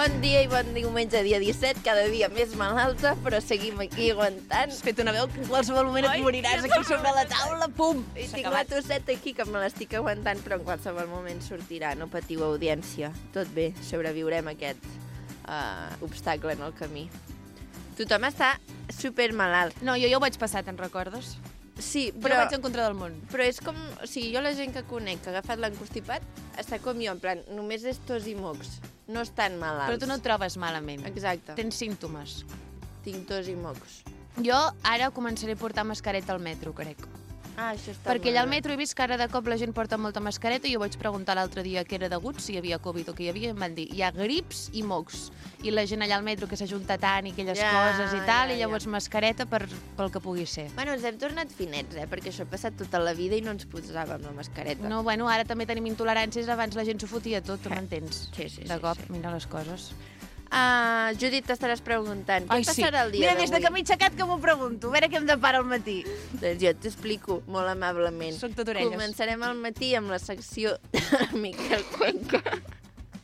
Bon dia i bon diumenge, dia 17, cada dia més malalta, però seguim aquí aguantant. Has fet una veu que en qualsevol moment et moriràs aquí sobre la taula, pum! I tinc la tosseta aquí que me l'estic aguantant, però en qualsevol moment sortirà. No patiu, audiència. Tot bé, sobreviurem aquest obstacle en el camí. Tothom està supermalalt. No, jo ja ho vaig passar, te'n recordes? Sí, Però vaig en contra del món. Però és com... O sigui, jo la gent que conec que ha agafat l'encostipat està com jo, en plan, només és tos i mocs. No estan malalts. Però tu no et trobes malament. Exacte. Tens símptomes. Tinc tos i mocs. Jo ara començaré a portar mascareta al metro, crec. Ah, això està Perquè molt allà al bé. metro he vist que ara de cop la gent porta molta mascareta i jo vaig preguntar l'altre dia què era degut, si hi havia Covid o què hi havia, i em van dir, hi ha grips i mocs. I la gent allà al metro que s'ajunta tant i aquelles coses i tal, i llavors mascareta pel que pugui ser. Bueno, ens hem tornat finets, perquè això ha passat tota la vida i no ens posàvem la mascareta. No, bueno, ara també tenim intoleràncies, abans la gent s'ho fotia tot, tu m'entens? Sí. De cop, mira les coses. Judit, t'estaràs preguntant, què passarà el dia Mira, d'avui? des de que m'he aixecat que m'ho pregunto, a veure què em depara al matí. Doncs jo t'explico molt amablement. Soc tot orelles. Començarem al matí amb la secció de Miquel Cuenca.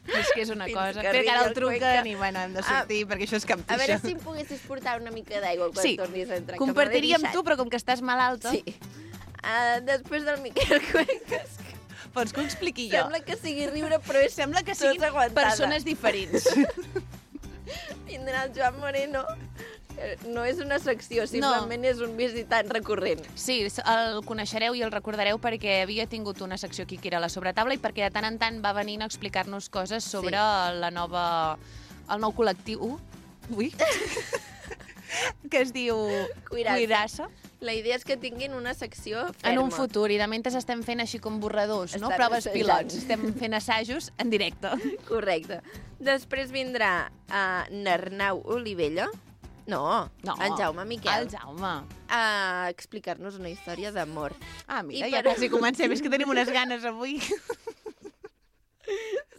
És que és una Fins cosa. que Crec que ara arribi el el truquen Cuenca. i, bueno, hem de sortir perquè això és cap A veure si em poguessis portar una mica d'aigua quan Sí, tornis a entrar. que me l'he compartiria amb deixat. tu, però com que estàs malalta... Sí. Després del Miquel Cuenca, Vols que ho expliqui jo? sembla que sigui riure, però és Sembla que tots siguin aguantada. persones diferents. Vindrà el Joan Moreno. No és una secció, simplement és un visitant recurrent. Sí, el coneixereu i el recordareu perquè havia tingut una secció aquí que era la sobretaula i perquè de tant en tant va venint a explicar-nos coses sobre el nou col·lectiu que es diu Cuirassa. La idea és que tinguin una secció ferma. En un futur, i de mentre estem fent així com borradors, no? Estan Proves assajant. pilots. Estem fent assajos en directe. Correcte. Després vindrà n'Arnau Olivella. No, en Jaume Miquel. El Jaume. A explicar-nos una història d'amor. Ah, mira, I ja quasi comencem. És que tenim unes ganes avui.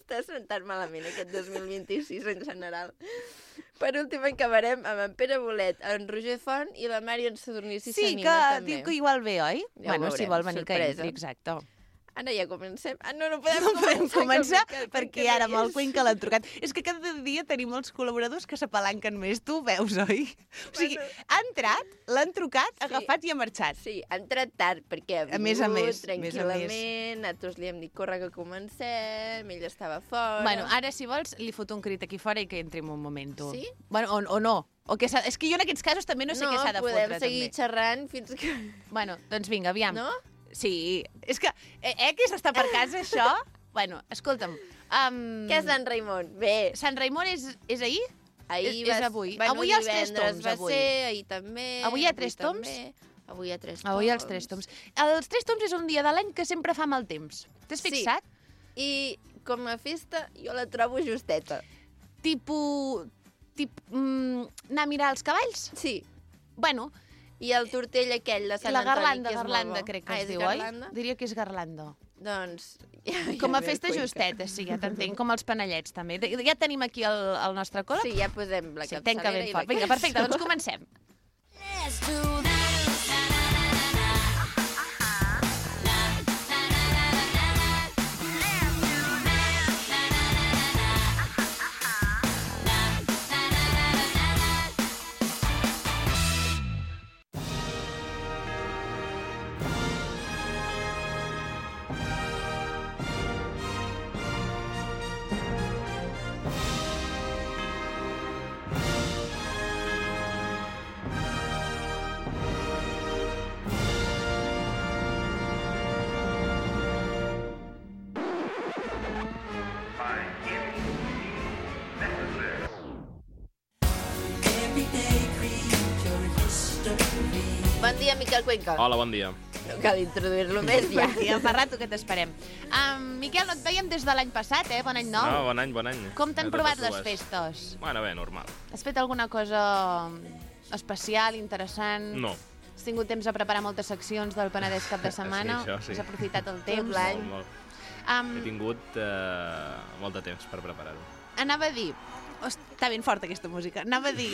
Està sentant malament aquest 2026 en general. Per últim acabarem amb en Pere Bolet, en Roger Font i la Marion Sadurní si Sí, s'anima que també. diu que igual ve, oi? Ja ho Bueno, si veurem, vol venir que sorpresa. entri, exacte. Ara ja comencem. No podem No podem començar que el perquè Cuenca ara no amb el hi és. Cuenca l'han trucat. És que cada dia tenim molts col·laboradors que s'apalanquen més. Tu ho veus, oi? O sigui, ha entrat, l'han trucat, ha agafat i ha marxat. Sí, ha entrat tard perquè ha A més a vingut més, tranquil·lament, nosaltres li hem dit corre que comencem, ell estava fora... Bueno, ara, si vols, li foto un crit aquí fora i que entri en un moment, tu. Sí? Bueno, o no. O que és que jo en aquests casos també no sé què s'ha de fotre, podem seguir també. xerrant fins que... Bueno, doncs vinga, aviam. No? Sí, és que, que s'està per casa, això? Bueno, escolta'm. Què és Sant Raimon? Bé, Sant Raimon és ahir? ahir és avui. Bueno, Avui hi ha els tres divendres toms, va avui. ser, ahir també... Avui hi ha tres toms? Avui hi ha tres toms. Avui els tres toms. Els tres toms és un dia de l'any que sempre fa mal temps. T'has fixat? I com a festa jo la trobo justeta. Anar a mirar els cavalls? Sí. Bueno, I el tortell aquell de Sant la Antoni, que és garlanda, molt bo. crec que es és diu, garlanda? oi? Diria que és garlanda. Doncs... Com a festa justeta, sí, ja t'entenc, com els panellets, també. Ja tenim aquí el nostre col·leg? Sí, ja posem la Sí, tenca capçalera ben i fort. la Vinga, perfecte, doncs comencem. Let's do that. Bon dia, Miquel Cuenca. Hola, bon dia. No cal introduir-lo més, ja. Ja fa rato que t'esperem. Miquel, no et veiem des de l'any passat, Bon any nou. No, bon any, bon any. Com t'han A provat totes les dues. festes? Bueno, bé, normal. Has fet alguna cosa especial, interessant? No. Has tingut temps a preparar moltes seccions del Penedès cap de setmana? Sí, això sí. Has aprofitat el Tot temps? l'any. Molt, molt. He tingut molt de temps per preparar-ho. Anava a dir, Està ben forta aquesta música. Anava a dir...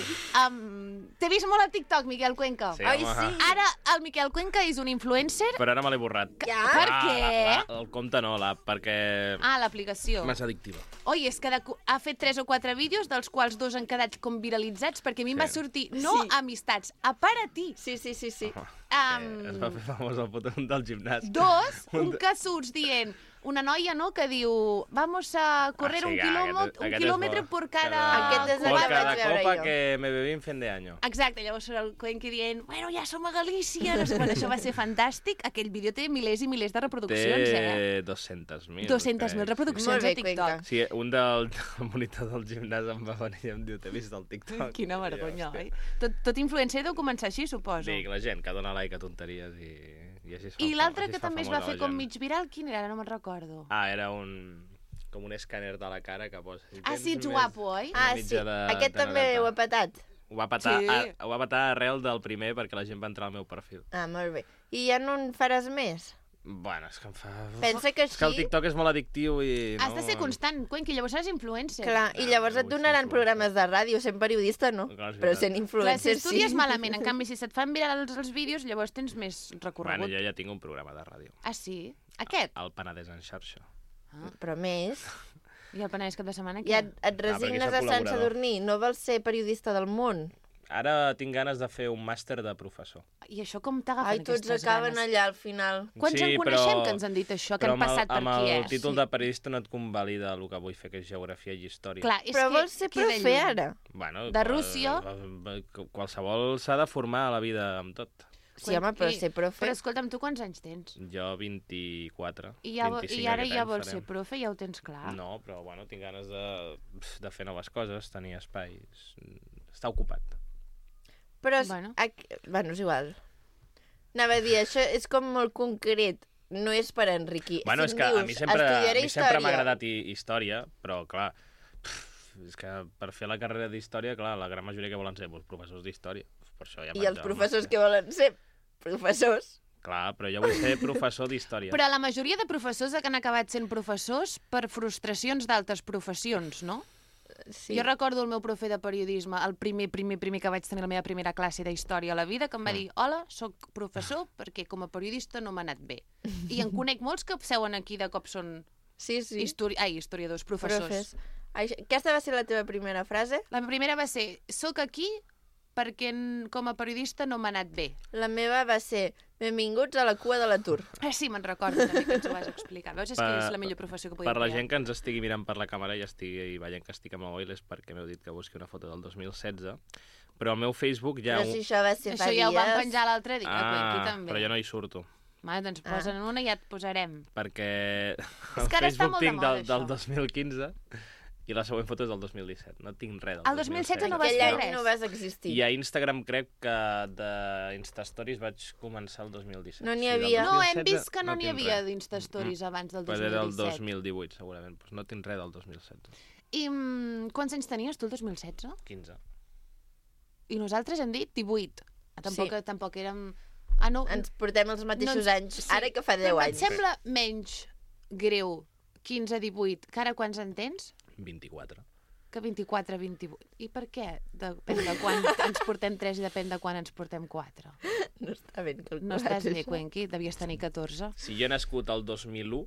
T'he vist molt a TikTok, Miquel Cuenca. Sí, Ai, home. sí. Ara el Miquel Cuenca és un influencer... Però ara me l'he borrat. Ja? Per què? El compte no, perquè... Ah, l'aplicació. Massa addictiva. Oi, és que ha fet 3 o 4 vídeos, dels quals 2 han quedat com viralitzats, perquè a mi em va sortir, no Sí. amistats, a per a ti. Sí. Es va fer famós el puto del gimnàs. 2, un que surts dient... Una noia, no?, que diu vamos a correr sí, un aquest és quilòmetre bo. por cada... Aquest és el Por que cada vaig veure copa jo. que me bebí en fin de año. Exacte, llavors surt el Cuenca dient bueno, ja som a Galícia, no sé quan, això va ser fantàstic. Aquell vídeo té milers i milers de reproduccions, Té 200.000. 200.000 reproduccions Molt bé, a TikTok. Cuenca. Sí, un del monitor del gimnàs em va venir i em diu, t'he vist al TikTok. Quina I jo, vergonya, hòstia. oi? Tot influencer deu començar així, suposo. Dic, la gent que dona like a tonteries i així es fa. I l'altre així que fa també es va famosa fer la com gent. mig viral, quin era? Ara no me'n recordo. Ah, era com un escàner de la cara que posa... Si Ah, tens sí, ets més- guapo, oi? una Ah, mitja sí. de- Aquest de també 90. ho ha petat. Ho va petar, Sí. ho va petar arrel del primer perquè la gent va entrar al meu perfil. Ah, molt bé. I ja no en faràs més? Bueno, és que em fa... Pensa que És que el així... TikTok és molt addictiu i... Has de ser constant, Cuenca, i llavors seràs influencer. Clar, i llavors et vull ser donaran influencer. programes de ràdio, sent periodista no, Clar, és però veritat. sent Clar, si influencer estudies sí. malament, en canvi, si se't fan virals els vídeos, llavors tens més recorregut. Bueno, jo ja tinc un programa de ràdio. Ah, sí? Aquest? El Penedès en xarxa. Però més, I el Penedès cap de setmana? ja Què? et perquè resignes soc a Sant col·laborador. Sadurní, no vols ser periodista del món. Ara tinc ganes de fer un màster de professor. I això com t'agafen Ai, tots aquestes acaben ganes? allà al final. Quants en coneixem que ens han dit això, que però han passat per amb aquí, el títol Sí. de periodista no et convalida el que vull fer, que és geografia i història. Clar, és Però que vols ser queda profe lluny. ara? Bueno, De Rússia. Qualsevol s'ha de formar a la vida amb tot. Sí, home, però ser profe... Però escolta'm, tu quants anys tens? Jo 24, I, ja, 25 i ara aquest ja any vols farem. ser profe, ja ho tens clar. No, però bueno, tinc ganes de fer noves coses, tenir espais, estar ocupat. Però, Bueno. bueno, és igual. Anava a dir, això és com molt concret. No és per enriquir. Bueno, si és em que a dius, mi sempre estudiaré història, m'ha agradat història, però clar, és que per fer la carrera d'història, clar, la gran majoria que volen ser doncs, professors d'història. Per això ja I vaig els al professors màster. que volen ser professors. Clar, però jo vull ser professor d'història. Però la majoria de professors que han acabat sent professors per frustracions d'altres professions, no? Sí. Jo recordo el meu profe de periodisme, el primer que vaig tenir la meva primera classe d'història a la vida, que em va dir, hola, sóc professor perquè com a periodista no m'ha anat bé. I en conec molts que seuen aquí de cop són Sí, sí. historiadors, professors. Profes. Aquesta va ser la teva primera frase? La primera va ser, sóc aquí perquè com a periodista no m'ha anat bé. La meva va ser, benvinguts a la cua de l'atur. Ah, sí, me'n recordo també que ens ho vas explicar. Veus, és que és la millor professió que podia Per la triar. gent que ens estigui mirant per la càmera i estigui veient que estic amb el mòbil és perquè m'heu dit que busqui una foto del 2016, però al meu Facebook hi ha Però si això va ser fa Això ja ho vam dies... penjar l'altre dia, aquí també. però jo no hi surto, Va, doncs posa'n una i ja et posarem. perquè És que ara està molt de tinc moda, del això. 2015 i la següent foto és del 2017. No tinc res del El 2016 no vas Aquell fer any res. no vas existir. I a Instagram crec que d'Instastories vaig començar el 2017. No n'hi Sí, del havia. No, hem 2016 vist que no n'hi tinc havia res. d'Instastories abans del Pues era el 2017. 2018, segurament. Pues no tinc res del 2016. I quants anys tenies tu el 2016? 15. I nosaltres hem dit 18. Tampoc, Sí. tampoc érem... Ah, no, Ens portem els mateixos anys, sí. ara que fa 10 Però anys. et sembla menys greu 15-18 que ara quants en tens? 24. Que 24-28. I per què? Depèn de quan ens portem 3 i depèn de quan ens portem 4. No està ben calculat. No estàs bé, això. Cuenqui, devies tenir 14. Si jo he nascut el 2001,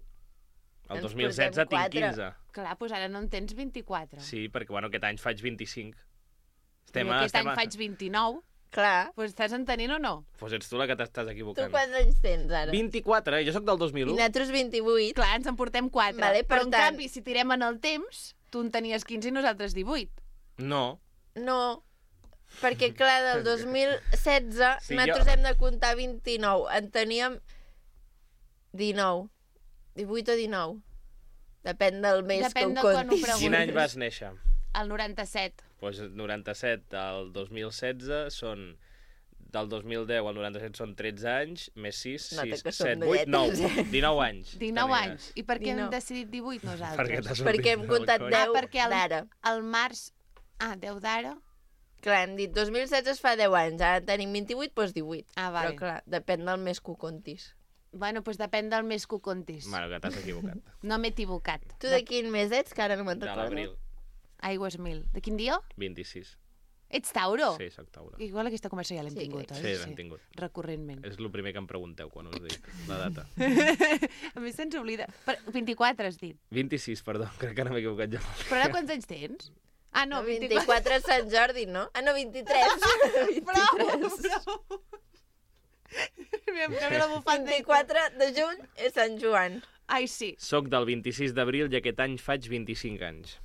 el Ens 2016 portem tinc 4. 15. Clar, doncs ara no en tens 24. Sí, perquè bueno, aquest any faig 25. I aquest any faig 29. Clar. Doncs estàs entenent o no? Pues ets tu la que t'estàs Tu equivocant. quants anys tens ara? 24, jo sóc del I 2001. nosaltres 28. Clar, ens en portem 4. Vale, per però en tant- canvi, si tirem en el temps, tu en tenies 15 i nosaltres 18. No. No, perquè clar, del 2016 Sí, nosaltres jo- hem de comptar 29. En teníem 19. 18 o 19. Depèn del mes Depèn que de ho quan ho comptis. preguntis. Quin any vas néixer? El 97. Pues 97 al 2016 són... Del 2010 al 97 són 13 anys, més 6, Nota 6, que som 7, 8, 9, velletes, 19 anys. 19 tenies. anys. I per què hem 19. decidit 18 nosaltres? Perquè t'ha sortit Perquè hem del comptat coll. 10 perquè d'ara. el març... Ah, 10 d'ara? Clar, hem dit 2016 es fa 10 anys, ara tenim 28, doncs 18. Ah, vale. Però clar, depèn del mes que ho comptis. Bueno, doncs depèn del mes que ho comptis. Bueno, que t'has equivocat. No m'he equivocat. Tu de quin mes ets, que ara no me'n De recordo? l'abril. Aigües 1000. De quin dia? 26. Ets Tauro? Sí, soc Tauro. Igual aquesta conversa ja l'hem Sí, tingut, crec oi? Sí, l'hem tingut. Recurrentment. És el primer que em pregunteu quan us dic la data. A més se'ns oblida. 24 has dit. 26, perdó, crec que ara m'he equivocat ja. Però ara quants anys tens? Ah, no, 24. 24 és Sant Jordi, no? Ah, no, 23. Prou! Aviam, que ve la bufanda. 24 de juny és Sant Joan. Ai, sí. Soc del 26 d'abril i aquest any faig 25 anys.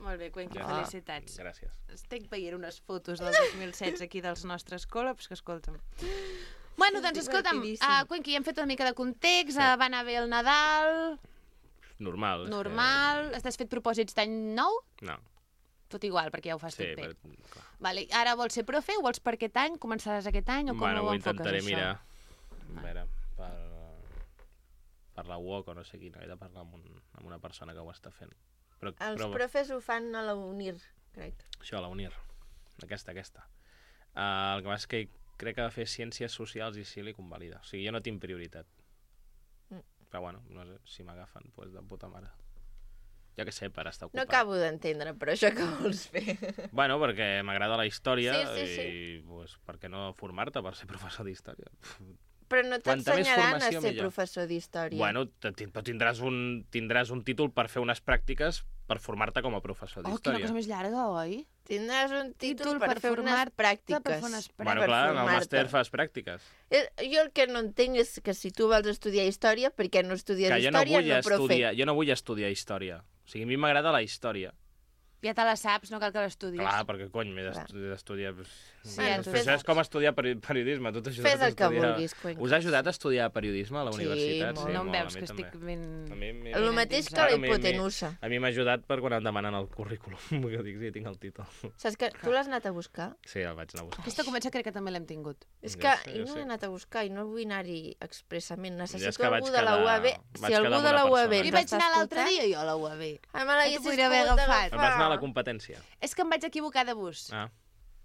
Molt bé, Cuenqui, Ja. felicitats. Gràcies. Estic veient unes fotos del 2016 aquí dels nostres col·labs, que escolta'm. Bueno, doncs escolta'm, Divertidíssim. Cuenqui, hem fet una mica de context, va anar bé el Nadal, Normal. és que- normal, t'has fet propòsits d'any nou? No, Tot igual, perquè ja ho fas sí, tot bé. però... Clar. Vale, ara vols ser profe? Ho vols per aquest any? Començaràs aquest any? O com Bueno, ho ho enfoques, intentaré això? mirar. A veure, per la UOC o no sé quina, he de parlar amb una persona que ho està fent. Els profes ho fan a la UNIR, crec. Això, la UNIR. Aquesta. El que passa és que crec que ha de fer ciències socials i sí li convalida. O sigui, jo no tinc prioritat. Però bueno, no sé, si m'agafen, doncs de puta mare. Jo què sé, per estar No ocupat. acabo d'entendre, però això que vols fer. Bueno, perquè m'agrada la història Sí. i pues, per què no formar-te per ser professor d'història? Però no Quanta més t'ensenyaran a formació, ser millor. professor d'història. Bueno, però tindràs un títol per fer unes pràctiques per formar-te com a professor Oh, quina d'història. cosa més llarga, oi? Tindràs un títol Títol per per fer unes formar-te, pràctiques. per fer unes Bueno, per clar, en el formar-te. màster fas pràctiques. Jo el que no entenc és que si tu vols estudiar història, per què no estudies Que jo no història, vull profe? estudiar, jo no vull estudiar història. O sigui, a mi m'agrada la història. Ja te la saps, no cal que l'estudis. Clar, perquè cony, m'he Clar. d'estudiar... Sí, Bueno, tu Això és com estudiar periodisme. Tu t'ha ajudat Fes a el que estudiar... vulguis, Cuenca. Us ha ajudat a estudiar periodisme a la Sí, universitat? molt. no em molt, veus, a mi que també. estic ben... A mi El mateix que la Claro, hipotenusa. A mi m'ha ajudat per quan em demanen el currículum, que dic, sí, tinc el títol. Saps que tu l'has anat a buscar? Sí, el vaig anar a buscar. Aquesta conversa crec que també l'hem tingut. És Ja que sé, jo ja no sé. he anat a buscar i no vull anar-hi expressament. Ja és Necessito que vaig algú de la quedar- UAB. vaig Si quedar algú amb de la una UAB persona. I ens vaig està anar l'altre escoltant, dia jo a la UAB. Ah, me l'haguessis podria haver pogut agafat. Vas anar a la agafar. competència. És que em vaig equivocar de bus. Ah,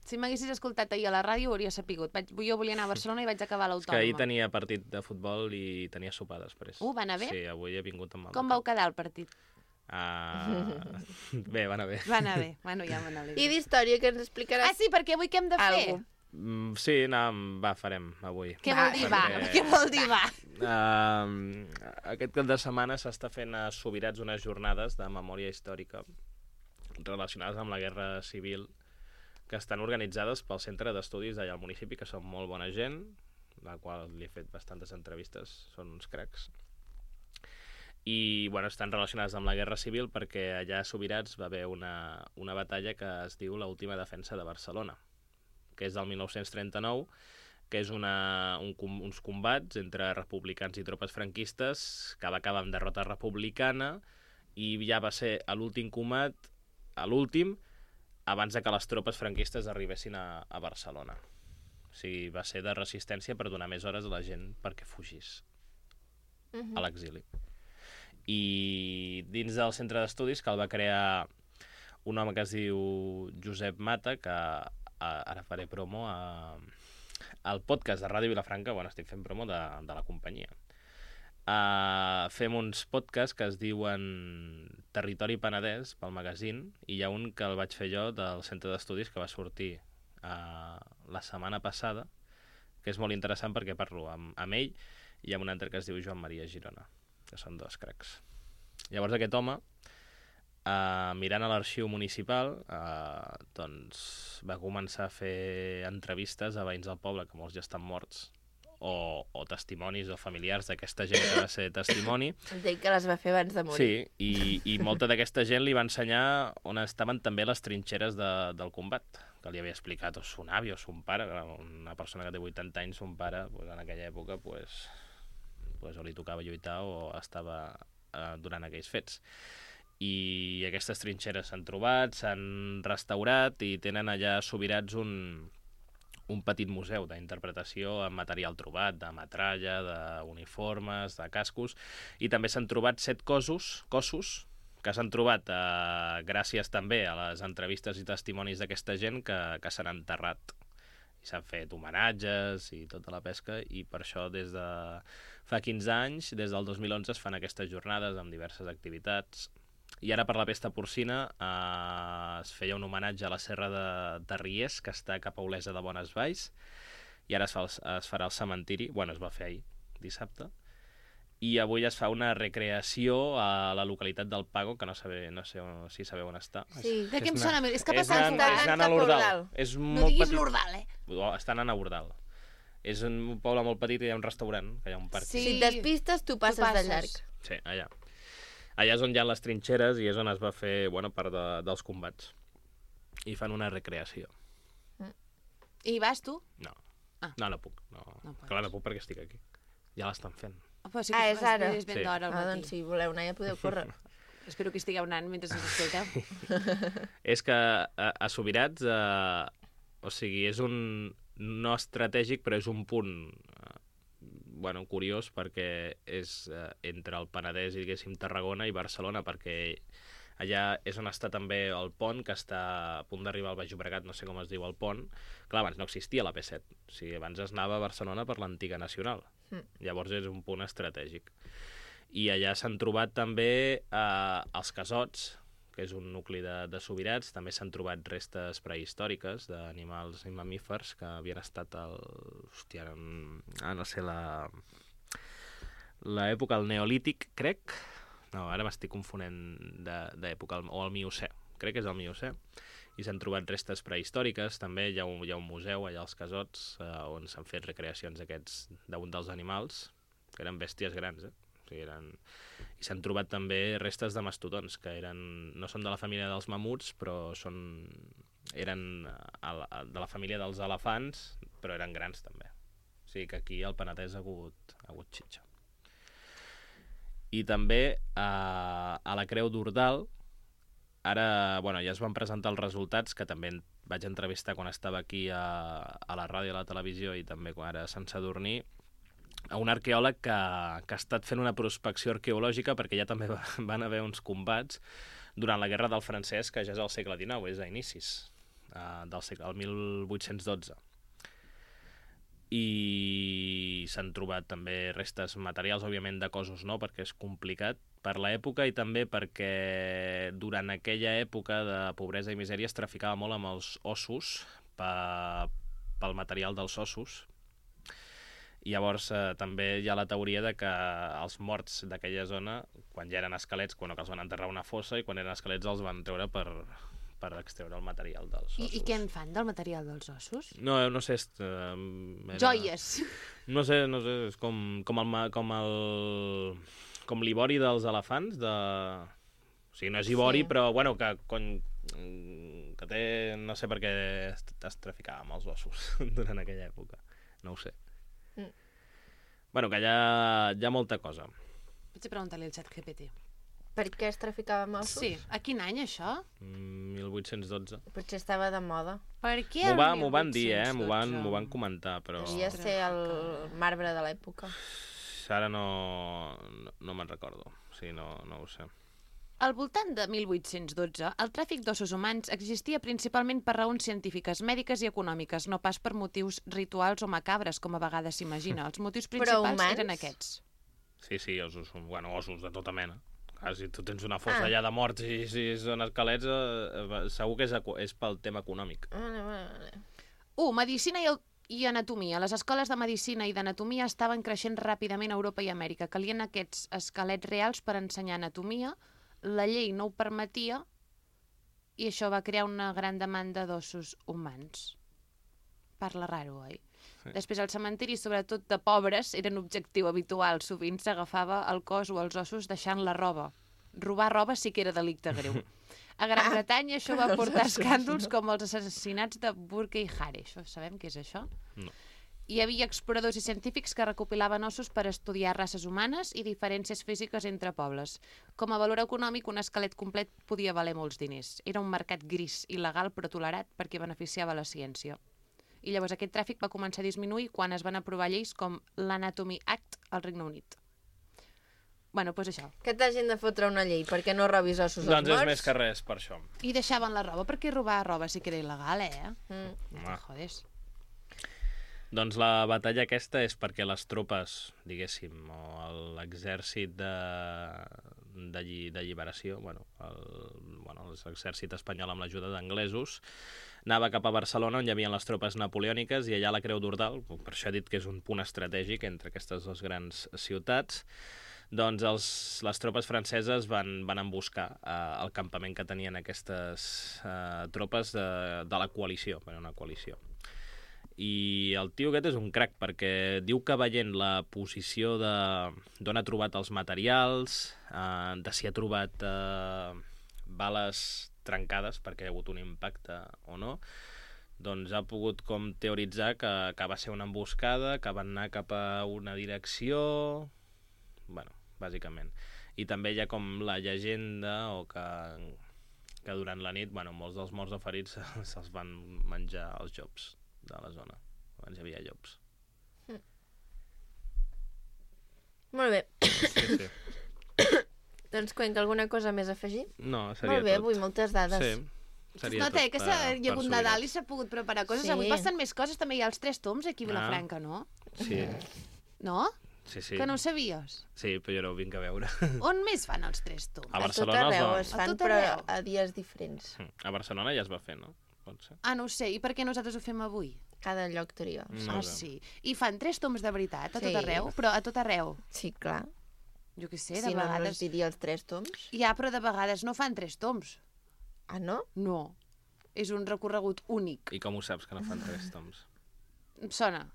Si m'haguessis escoltat ahir a la ràdio, ho hauria sapigut. Jo volia anar a Barcelona i vaig acabar a és que ahir l'Autònoma. tenia partit de futbol i tenia sopar després. Va anar bé? Sí, avui he vingut amb el... Com vau quedar el partit? Bé, va anar bé. Va anar bé. Bueno, ja m'anava. I d'història, que ens explicaràs Ah, sí, perquè avui què hem de fer? algo. Sí, farem avui. Què vol dir va? perquè- Què vol dir va? Aquest cap de setmana s'està fent a Subirats unes jornades de memòria històrica relacionades amb la Guerra Civil que estan organitzades pel Centre d'Estudis d'allà al municipi, que són molt bona gent, la qual li he fet bastantes entrevistes, són uns cracs. I bueno, estan relacionades amb la Guerra Civil perquè allà a Subirats va haver una batalla que es diu l'última defensa de Barcelona, que és del 1939, que és uns combats entre republicans i tropes franquistes que va acabar amb derrota republicana i ja va ser l'últim combat, l'últim, abans de que les tropes franquistes arribessin a Barcelona. O sigui, va ser de resistència per donar més hores a la gent perquè fugís a l'exili. I dins del centre d'estudis, que el va crear un home que es diu Josep Mata, que ara faré promo al podcast de Ràdio Vilafranca, bueno, estic fent promo de la companyia. Fem uns podcasts que es diuen Territori Penedès pel magazín, i hi ha un que el vaig fer jo del centre d'estudis que va sortir la setmana passada, que és molt interessant perquè parlo amb ell i amb un altre que es diu Joan Maria Girona, que són dos cracs. Llavors aquest home, mirant a l'arxiu municipal, doncs va començar a fer entrevistes a veïns del poble, que molts ja estan morts, o testimonis o familiars d'aquesta gent que va ser testimoni. Entenc que les va fer abans de morir. Sí, i molta d'aquesta gent li va ensenyar on estaven també les trinxeres del combat, que li havia explicat o son avi o son pare, una persona que té 80 anys, son pare, pues, en aquella època pues, o li tocava lluitar o estava durant aquells fets. I aquestes trinxeres s'han trobat, s'han restaurat i tenen allà a Subirats un petit museu d'interpretació amb material trobat, de metralla, d'uniformes, de cascos, i també s'han trobat 7 cossos que s'han trobat gràcies també a les entrevistes i testimonis d'aquesta gent que s'han enterrat. I s'han fet homenatges i tota la pesca, i per això des de fa 15 anys, des del 2011, es fan aquestes jornades amb diverses activitats I ara per la pesta porcina es feia un homenatge a la serra de Riés, que està cap a Olesa de Bonesvalls, i ara es farà al cementiri, bueno, es va fer ahir, dissabte, i avui es fa una recreació a la localitat del Pago, que no sé si sabeu on està. Sí. De què em sona? És que És passant... anant a l'Ordal. No diguis l'Ordal, Està anant a Ordal. És un poble molt petit i hi ha un restaurant, que hi ha un parc. Si et despistes, tu passes de llarg. Sí, allà. Allà és on hi ha les trinxeres i és on es va fer bona part dels combats. I fan una recreació. I vas tu? No. Ah. No puc. No. Clar, no puc perquè estic aquí. Ja l'estan fent. Però sí És ara. És ben d'hora al matí. Doncs si voleu anar ja podeu córrer. Espero que estigueu anant mentre us escolteu. És que a Subirats, o sigui, és un... no estratègic, però és un punt curiós, perquè és entre el Penedès i, diguéssim, Tarragona i Barcelona, perquè allà és on està també el pont, que està a punt d'arribar al Baix Llobregat, no sé com es diu el pont. Clar, abans no existia la P7, o sigui, abans es anava a Barcelona per l'antiga Nacional. Llavors és un punt estratègic. I allà s'han trobat també els Casots, que és un nucli de Subirats. També s'han trobat restes prehistòriques d'animals i mamífers que havien estat l'època del Neolític, crec. No, ara m'estic confonent d'època, o el Miocè. Crec que és el Miocè. I s'han trobat restes prehistòriques. També hi ha un museu allà als Casots on s'han fet recreacions d'un dels animals, que eren bèsties grans, O sigui, i s'han trobat també restes de mastodons, que no són de la família dels mamuts, però eren de la família dels elefants, però eren grans també. O sigui que aquí al Penedès ha hagut xitxa. I també a la Creu d'Ordal, ara ja es van presentar els resultats, que també vaig entrevistar quan estava aquí a la ràdio i a la televisió, i també ara a Sant Sadurní, a un arqueòleg que ha estat fent una prospecció arqueològica, perquè ja també van haver uns combats durant la Guerra del Francès, que ja és al segle XIX, és a inicis del 1812. I s'han trobat també restes materials, òbviament de cossos no, perquè és complicat per l'època, i també perquè durant aquella època de pobresa i misèria es traficava molt amb els ossos pel material dels ossos. I llavors també hi ha la teoria de que els morts d'aquella zona, quan ja eren esquelets, que els van enterrar a una fossa, i quan eren esquelets els van treure per extreure el material dels ossos. I què en fan del material dels ossos? No sé... Joies! No sé, és com l'ivori dels elefants, o sigui, no és ivori, però que té... No sé per què es traficava amb els ossos durant aquella època. No ho sé. Que hi ha molta cosa. Potser preguntar-li al ChatGPT. Per què es traficava amb ossos? Sí. A quin any, això? 1812. Potser estava de moda. Per què m'ho van dir, m'ho van comentar, però... Devia ser el marbre de l'època. Ara no me'n recordo. O sigui, no ho sé. Al voltant de 1812, el tràfic d'ossos humans existia principalment per raons científiques, mèdiques i econòmiques, no pas per motius rituals o macabres, com a vegades s'imagina. Els motius principals eren aquests. Sí, ossos de tota mena. Si tu tens una fossa allà de morts i si són esquelets, segur que és pel tema econòmic. Vale. 1. Medicina i anatomia. Les escoles de medicina i d'anatomia estaven creixent ràpidament a Europa i Amèrica. Calien aquests esquelets reals per ensenyar anatomia. La llei no ho permetia i això va crear una gran demanda d'ossos humans. Parla raro, oi? Sí. Després, els cementiris, sobretot de pobres, eren objectiu habitual. Sovint s'agafava el cos o els ossos deixant la roba. Robar roba sí que era delicte greu. A Gran Bretanya això va portar escàndols com els assassinats de Burke i Hare. Això sabem què és això? No. Hi havia exploradors i científics que recopilaven ossos per estudiar races humanes i diferències físiques entre pobles. Com a valor econòmic, un esquelet complet podia valer molts diners. Era un mercat gris, il·legal però tolerat perquè beneficiava la ciència. I llavors aquest tràfic va començar a disminuir quan es van aprovar lleis com l'Anatomy Act al Regne Unit. Doncs això. Que t'hagin de fotre una llei perquè no robis ossos als morts? Doncs és més que res per això. I deixaven la roba, perquè robar roba sí que era il·legal, Jodes. Doncs la batalla aquesta és perquè les tropes, diguéssim, o l'exèrcit d'alliberació, l'exèrcit espanyol amb l'ajuda d'anglesos, anava cap a Barcelona, on hi havia les tropes napoleòniques, i allà la Creu d'Ordal, per això he dit que és un punt estratègic entre aquestes dues grans ciutats, doncs les tropes franceses van emboscar el campament que tenien aquestes tropes de la coalició, una coalició. I el tio aquest és un crac, perquè diu que veient la posició d'on ha trobat els materials, de si ha trobat bales trencades perquè hi ha hagut un impacte o no, doncs ha pogut com teoritzar que va ser una emboscada, que van anar cap a una direcció... bàsicament. I també hi ha com la llegenda que durant la nit, molts dels morts o ferits se'ls van menjar els llops de la zona. Abans hi havia llops. Molt bé. Sí. Doncs, Cuenca, alguna cosa més a afegir? No, seria Molt bé, tot. avui moltes dades. Sí, seria Nota, tot que hi ha hagut Nadal i s'ha pogut preparar coses. Sí. Avui passen més coses, també hi ha els 3 toms aquí a Vilafranca, no? Sí. No? Sí. Que no ho sabies? Sí, però jo no ho vinc a veure. On més fan els 3 toms? A A tot Barcelona arreu es A fan, tot però arreu. a dies diferents. A Barcelona ja es va fer, no? Pot ser. Ah, no ho sé. I per què nosaltres ho fem avui? Cada lloc tria. No Ah, sé. sí. I fan 3 toms de veritat, a tot Sí. arreu? Però a tot arreu. Sí, clar. Jo què sé, de Si no, no es vegades... diria els 3 toms. Ja, però de vegades no fan 3 toms. Ah, no? No. És un recorregut únic. I com ho saps que no fan 3 toms? Em sona.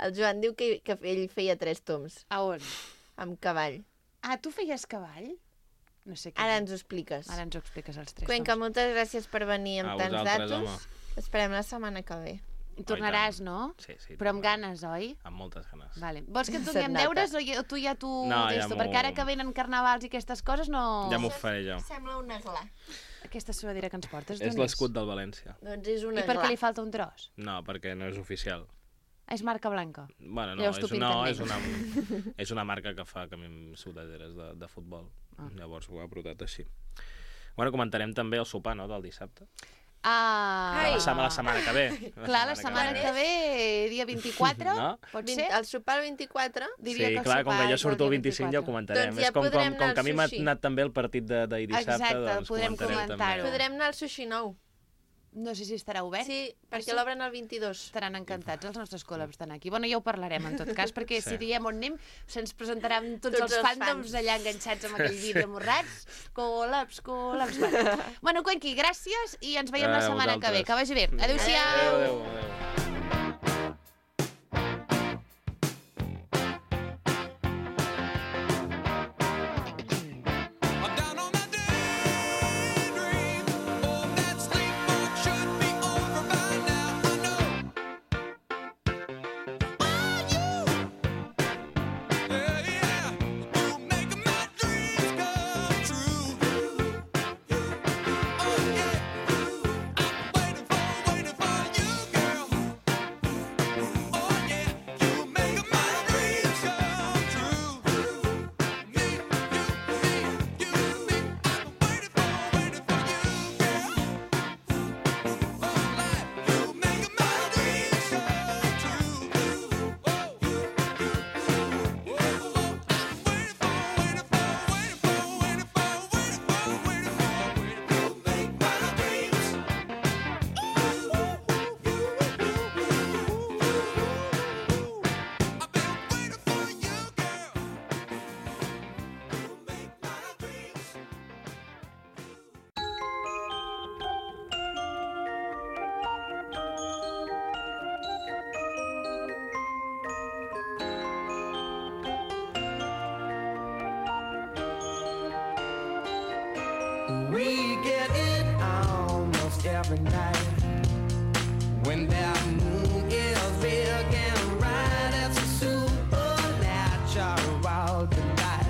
El Joan diu que ell feia 3 toms, A on? amb cavall. Ah, tu feies cavall? No sé què. Ara ens ho expliques. Ara ens ho expliques, els 3 Cuenca, toms. moltes gràcies per venir amb A tants vosaltres, datos. home. Esperem la setmana que ve. I tornaràs, no? Sí. Però amb ganes, oi? Amb moltes ganes. Vale. Vols que et Se't donem nota. deures o tu ja t'ho... No, ja d'esto? m'ho- Perquè ara que venen carnavals i aquestes coses no... Ja m'ho faré jo. Sembla una gla. Aquesta suadera que ens portes, És d'on l'escut del València. Doncs és una I per gla. què li falta un tros? No, perquè no és oficial. És marca blanca. Bueno, no, Llavors t'ho pinten és una marca que fa sudaderes de futbol. Llavors ho ha brotat així. Bueno, comentarem també el sopar, no?, del dissabte. Ah! La setmana que ve. Clar, la setmana que ve, dia 24, No? pot ser? El sopar el 24? Diria Sí, que el clar, com sopar que jo és surto el dia 25 ja ho 24. comentarem. Doncs ja És com podrem anar que a mi al m'ha sushi. anat també el partit d'ahir dissabte, Exacte, doncs podrem comentarem comentar-ho. també. Podrem anar al sushi nou. No sé si estarà obert. Sí, perquè l'obren el 22. Estaran encantats els nostres col·labs estan aquí. Bueno, ja ho parlarem, en tot cas, perquè si diem on anem, se'ns presentaran tots els fandoms fans. allà enganxats amb aquell vídeo morrats. Col·labs. Bueno, Cuenqui, gràcies i ens veiem la A setmana que ve. vosaltres. Que vagi bé. Adéu-siau. Adéu. I'm down on my daydream. Oh, that sleepwalk should be over by now. I know. Oh, you. Yeah. You make my dreams come true. Oh, yeah. I'm waiting for you, girl. Oh, yeah. You make my dreams come true. Me, you, me, you, me. I'm waiting for you, girl. Oh, life, you make my dreams come true. Whoa, I'm waiting We get it almost every night when that moon is big and bright. It's a supernatural delight.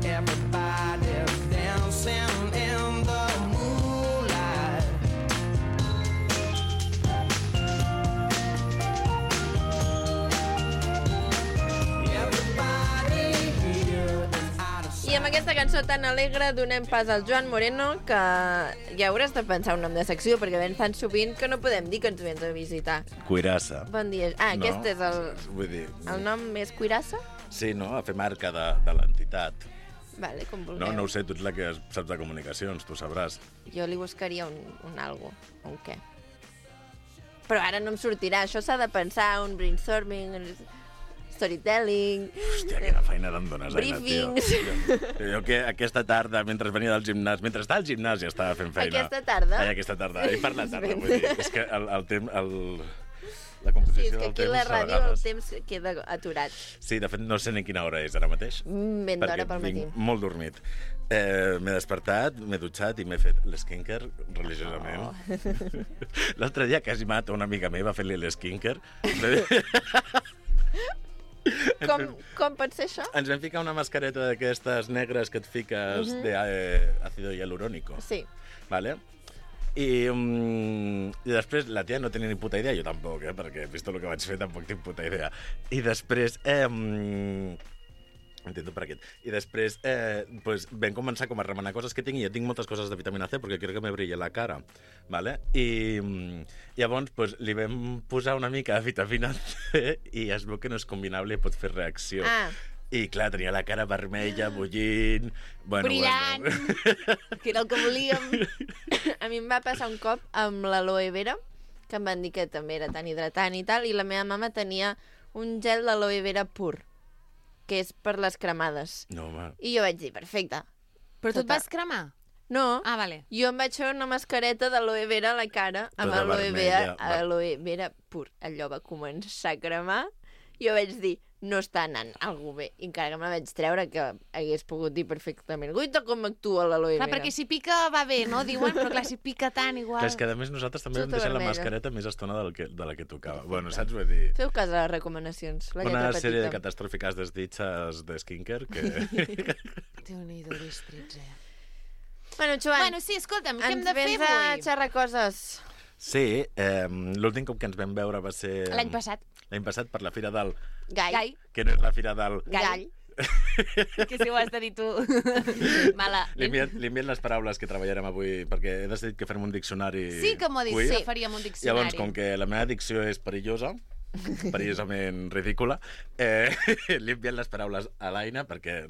Everybody's dancing in the moonlight. Everybody here is out of I amb aquesta cançó tan alegre donem pas al Joan Moreno, que ja hauràs de pensar un nom de secció, perquè ven tan sovint que no podem dir que ens vens a visitar. Cuirassa. Bon dia. Ah, No? aquest és Vull dir, el nom més cuirassa? sí, no? A fer marca de l'entitat. Vale, com vulgueu. No ho sé, tu ets la que saps de comunicacions, tu sabràs. Jo li buscaria un algo, un què. Però ara no em sortirà. Això s'ha de pensar, un brainstorming, un storytelling... Hòstia, quina feina te'n dones, Aina, tio. Briefings. Jo que aquesta tarda, mentre venia del gimnàs, mentre estava al gimnàs ja estava fent feina. Aquesta tarda? Ai, aquesta tarda. I per la tarda, vull dir. És que la Sí, composició és que del aquí a temps, la a ràdio el vegades... temps queda aturat. Sí, de fet, no sé ni quina hora és ara mateix. Ben d'hora pel matí. vinc molt dormit. M'he despertat, m'he dutxat i m'he fet l'esquinker religiosament. Oh. L'altre dia quasi mato una amiga meva fent-li l'esquinker. Com pot ser això? Ens vam ficar una mascareta d'aquestes negres que et fiques d'àcido hialurónico. Sí. Vale? I després la tia no tenia ni puta idea, jo tampoc, perquè vist el que vaig fer tampoc tinc puta idea. I després... Intento per aquest. I després pues, vam començar com a remenar coses que tinc i ja tinc moltes coses de vitamina C perquè quiero que me brille la cara. Vale? I llavors pues, li vam posar una mica de vitamina C i es veu que no és combinable i pot fer reacció. Ah. I clar, tenia la cara vermella, bullint... Bueno, Brillant. Bueno. Que era el que volíem. A mi em va passar un cop amb l'aloe vera, que em van dir que també era tan hidratant i tal, i la meva mama tenia un gel d'aloe vera pur, que és per les cremades. No, home. I jo vaig dir, perfecte. Però tu et vas cremar? No, Ah, vale. jo em vaig fer una mascareta d'aloe vera a la cara amb Tota aloe vermella, vera, aloe vera pur. Allò va començar a cremar. Jo vaig dir, no està anant algú bé. I encara que me la vaig treure, que hagués pogut dir perfectament, guaita com actua l'aloe vera. Clar, perquè si pica va bé, no? Diuen, però clar, si pica tant, igual... Clar, és que a més nosaltres també vam Tota deixar la vermella. mascareta més estona de la que tocava. Bueno, saps? Vull dir, Feu cas a les recomanacions, la una lletra sèrie de petita. catàstrofes desdichas de skincare que... Déu-n'hi-do, distrits, Bueno, Joan, Bueno, sí, escolta'm, què hem ens de fer vens a avui? xerrar coses. Sí, l'últim cop que ens vam veure va ser... L'any passat. L'any passat per la Fira del... Gai. Que no és la Fira del... Gall. Que si ho has de dir tu. Mala. Li envien les paraules que treballarem avui, perquè he decidit que farem un diccionari Sí que m'ho ha dit, queer. sí. Faríem un diccionari. Llavors, com que la meva dicció és perillosa, perillosament ridícula, li envien les paraules a l'Aina perquè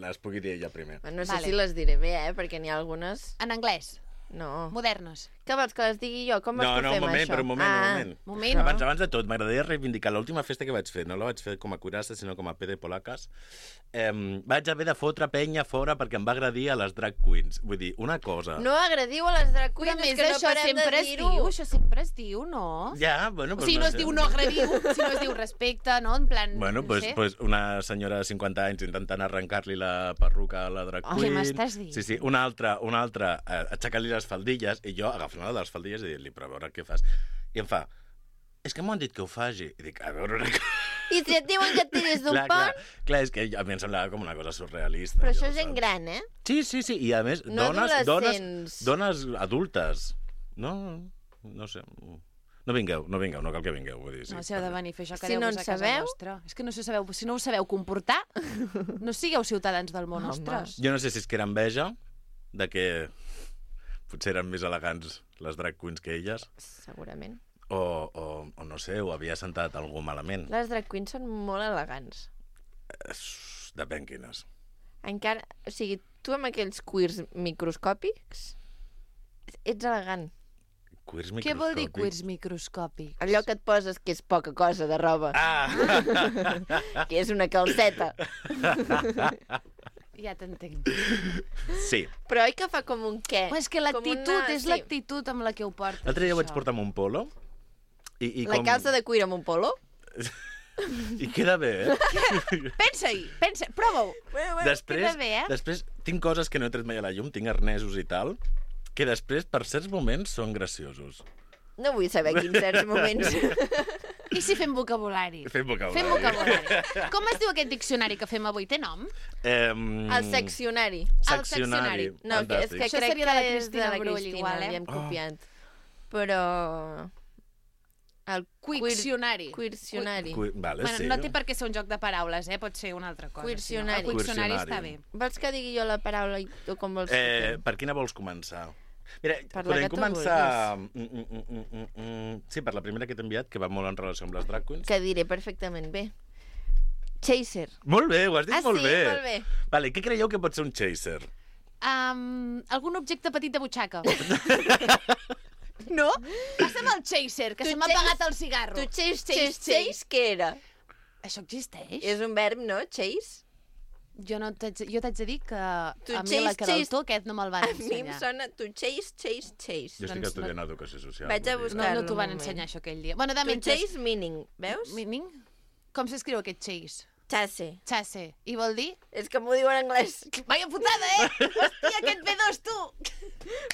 les pugui dir ella primer. No sé Vale. si les diré bé, perquè n'hi ha algunes... En anglès. No. Modernes. Què vols, que les digui jo? Com vols No, que no, fem un moment, això? però un moment. Moment. Abans de tot, m'agradaria reivindicar l'última festa que vaig fer. No la vaig fer com a curassa, sinó com a PD Polacas. Vaig haver de fotre penya fora perquè em va agredir a les drag queens. Vull dir, una cosa... No agradiu a les drag Però queens, a més, que no això parem sempre de es dir-ho. diu, això sempre es diu, no? Ja, bueno... O sigui, no es diu no agrediu, sinó es diu respecte, no? En plan, Bueno, no pues, sé. pues una senyora de 50 anys intentant arrencar-li la perruca a la drag Oh, queen. què m'estàs dient? Sí, sí, una altra aixecant-li les faldilles i jo agafant una de les faldilles i dir-li, però a veure què fas. I em fa, és que m'ho han dit que ho faci. I dic, a veure una cosa... I si et diuen que et tiris d'un pont... Clar, és que a mi em semblava com una cosa surrealista. Però allò, això és gent saps? gran, eh? Sí, sí, sí, i a més, No adolescents. dones adultes. No sé... No vingueu, no cal que vingueu. Vull dir, sí. No, si heu de venir a fer això, Si quedeu-vos no en a casa sabeu. nostra. És que no se sabeu, si no us sabeu comportar, no sigueu ciutadans del món, Home. ostres. Jo no sé si és que era enveja de que potser eren més elegants les drag queens que elles, Segurament. o no sé, o havia sentat algú malament. Les drag queens són molt elegants. Depèn quines. Encara... O sigui, tu amb aquells queers microscòpics ets elegant. Queers Què vol dir microscòpics. queers microscòpics? Allò que et poses que és poca cosa de roba, que és una calceta. Ja t'entenc. Sí. Però oi que fa com un què? Però és que Com l'actitud, una- és sí. l'actitud amb la que ho portes. L'altre dia vaig això. portar un polo i La calça de cuir amb un polo? I queda bé, eh? Pensa-hi, prova-ho. Després, queda bé, eh? després tinc coses que no he tret mai a la llum, tinc arnesos i tal, que després, per certs moments, són graciosos. No vull saber quins certs moments. I si fem vocabulari? Fem vocabulari. Fem vocabulari. Com es diu aquest diccionari que fem avui? Té nom? El seccionari. Seccionari. No, que és que Fantàstic. Això crec seria de la que és Cristina de la Brull, Cristina, igual, eh? l'hem Oh. copiat. Però... El Quiccionari. Quircionari. Vale, Bueno, sí. no té per què ser un joc de paraules, pot ser una altra cosa. Quircionari. Sí, no? El Quiccionari Quircionari. està bé. Vols que digui jo la paraula i tu com vols que fem? Per quina vols començar? Mira, Per la podem que tu començar... Sí, per la primera que t'he enviat, que va molt en relació amb les drag queens. Que diré perfectament bé. Chaser. Molt bé, ho has dit molt sí? bé. Molt bé. Vale, què creieu que pot ser un chaser? Algun objecte petit de butxaca. No? Passa'm el chaser, que Tu se m'ha chase- apagat el cigarro. Tu chase, què era? Això existeix? És un verb, no? Chase? Jo t'haig de dir que Tu a mi la chase- Queraltó aquest no me'l van A mi em ensenyar. sona tu chase. Jo estic Doncs estudiant educació social. Vaig a vull dir. buscar- No t'ho van un moment. ensenyar, això, aquell dia. Bueno, de Tu mentre... chase meaning, veus? Meaning? Com s'escriu aquest chase? Chase. Chase. I vol dir? És que m'ho diu en anglès. Vaya putada, Hòstia, aquest B2, tu!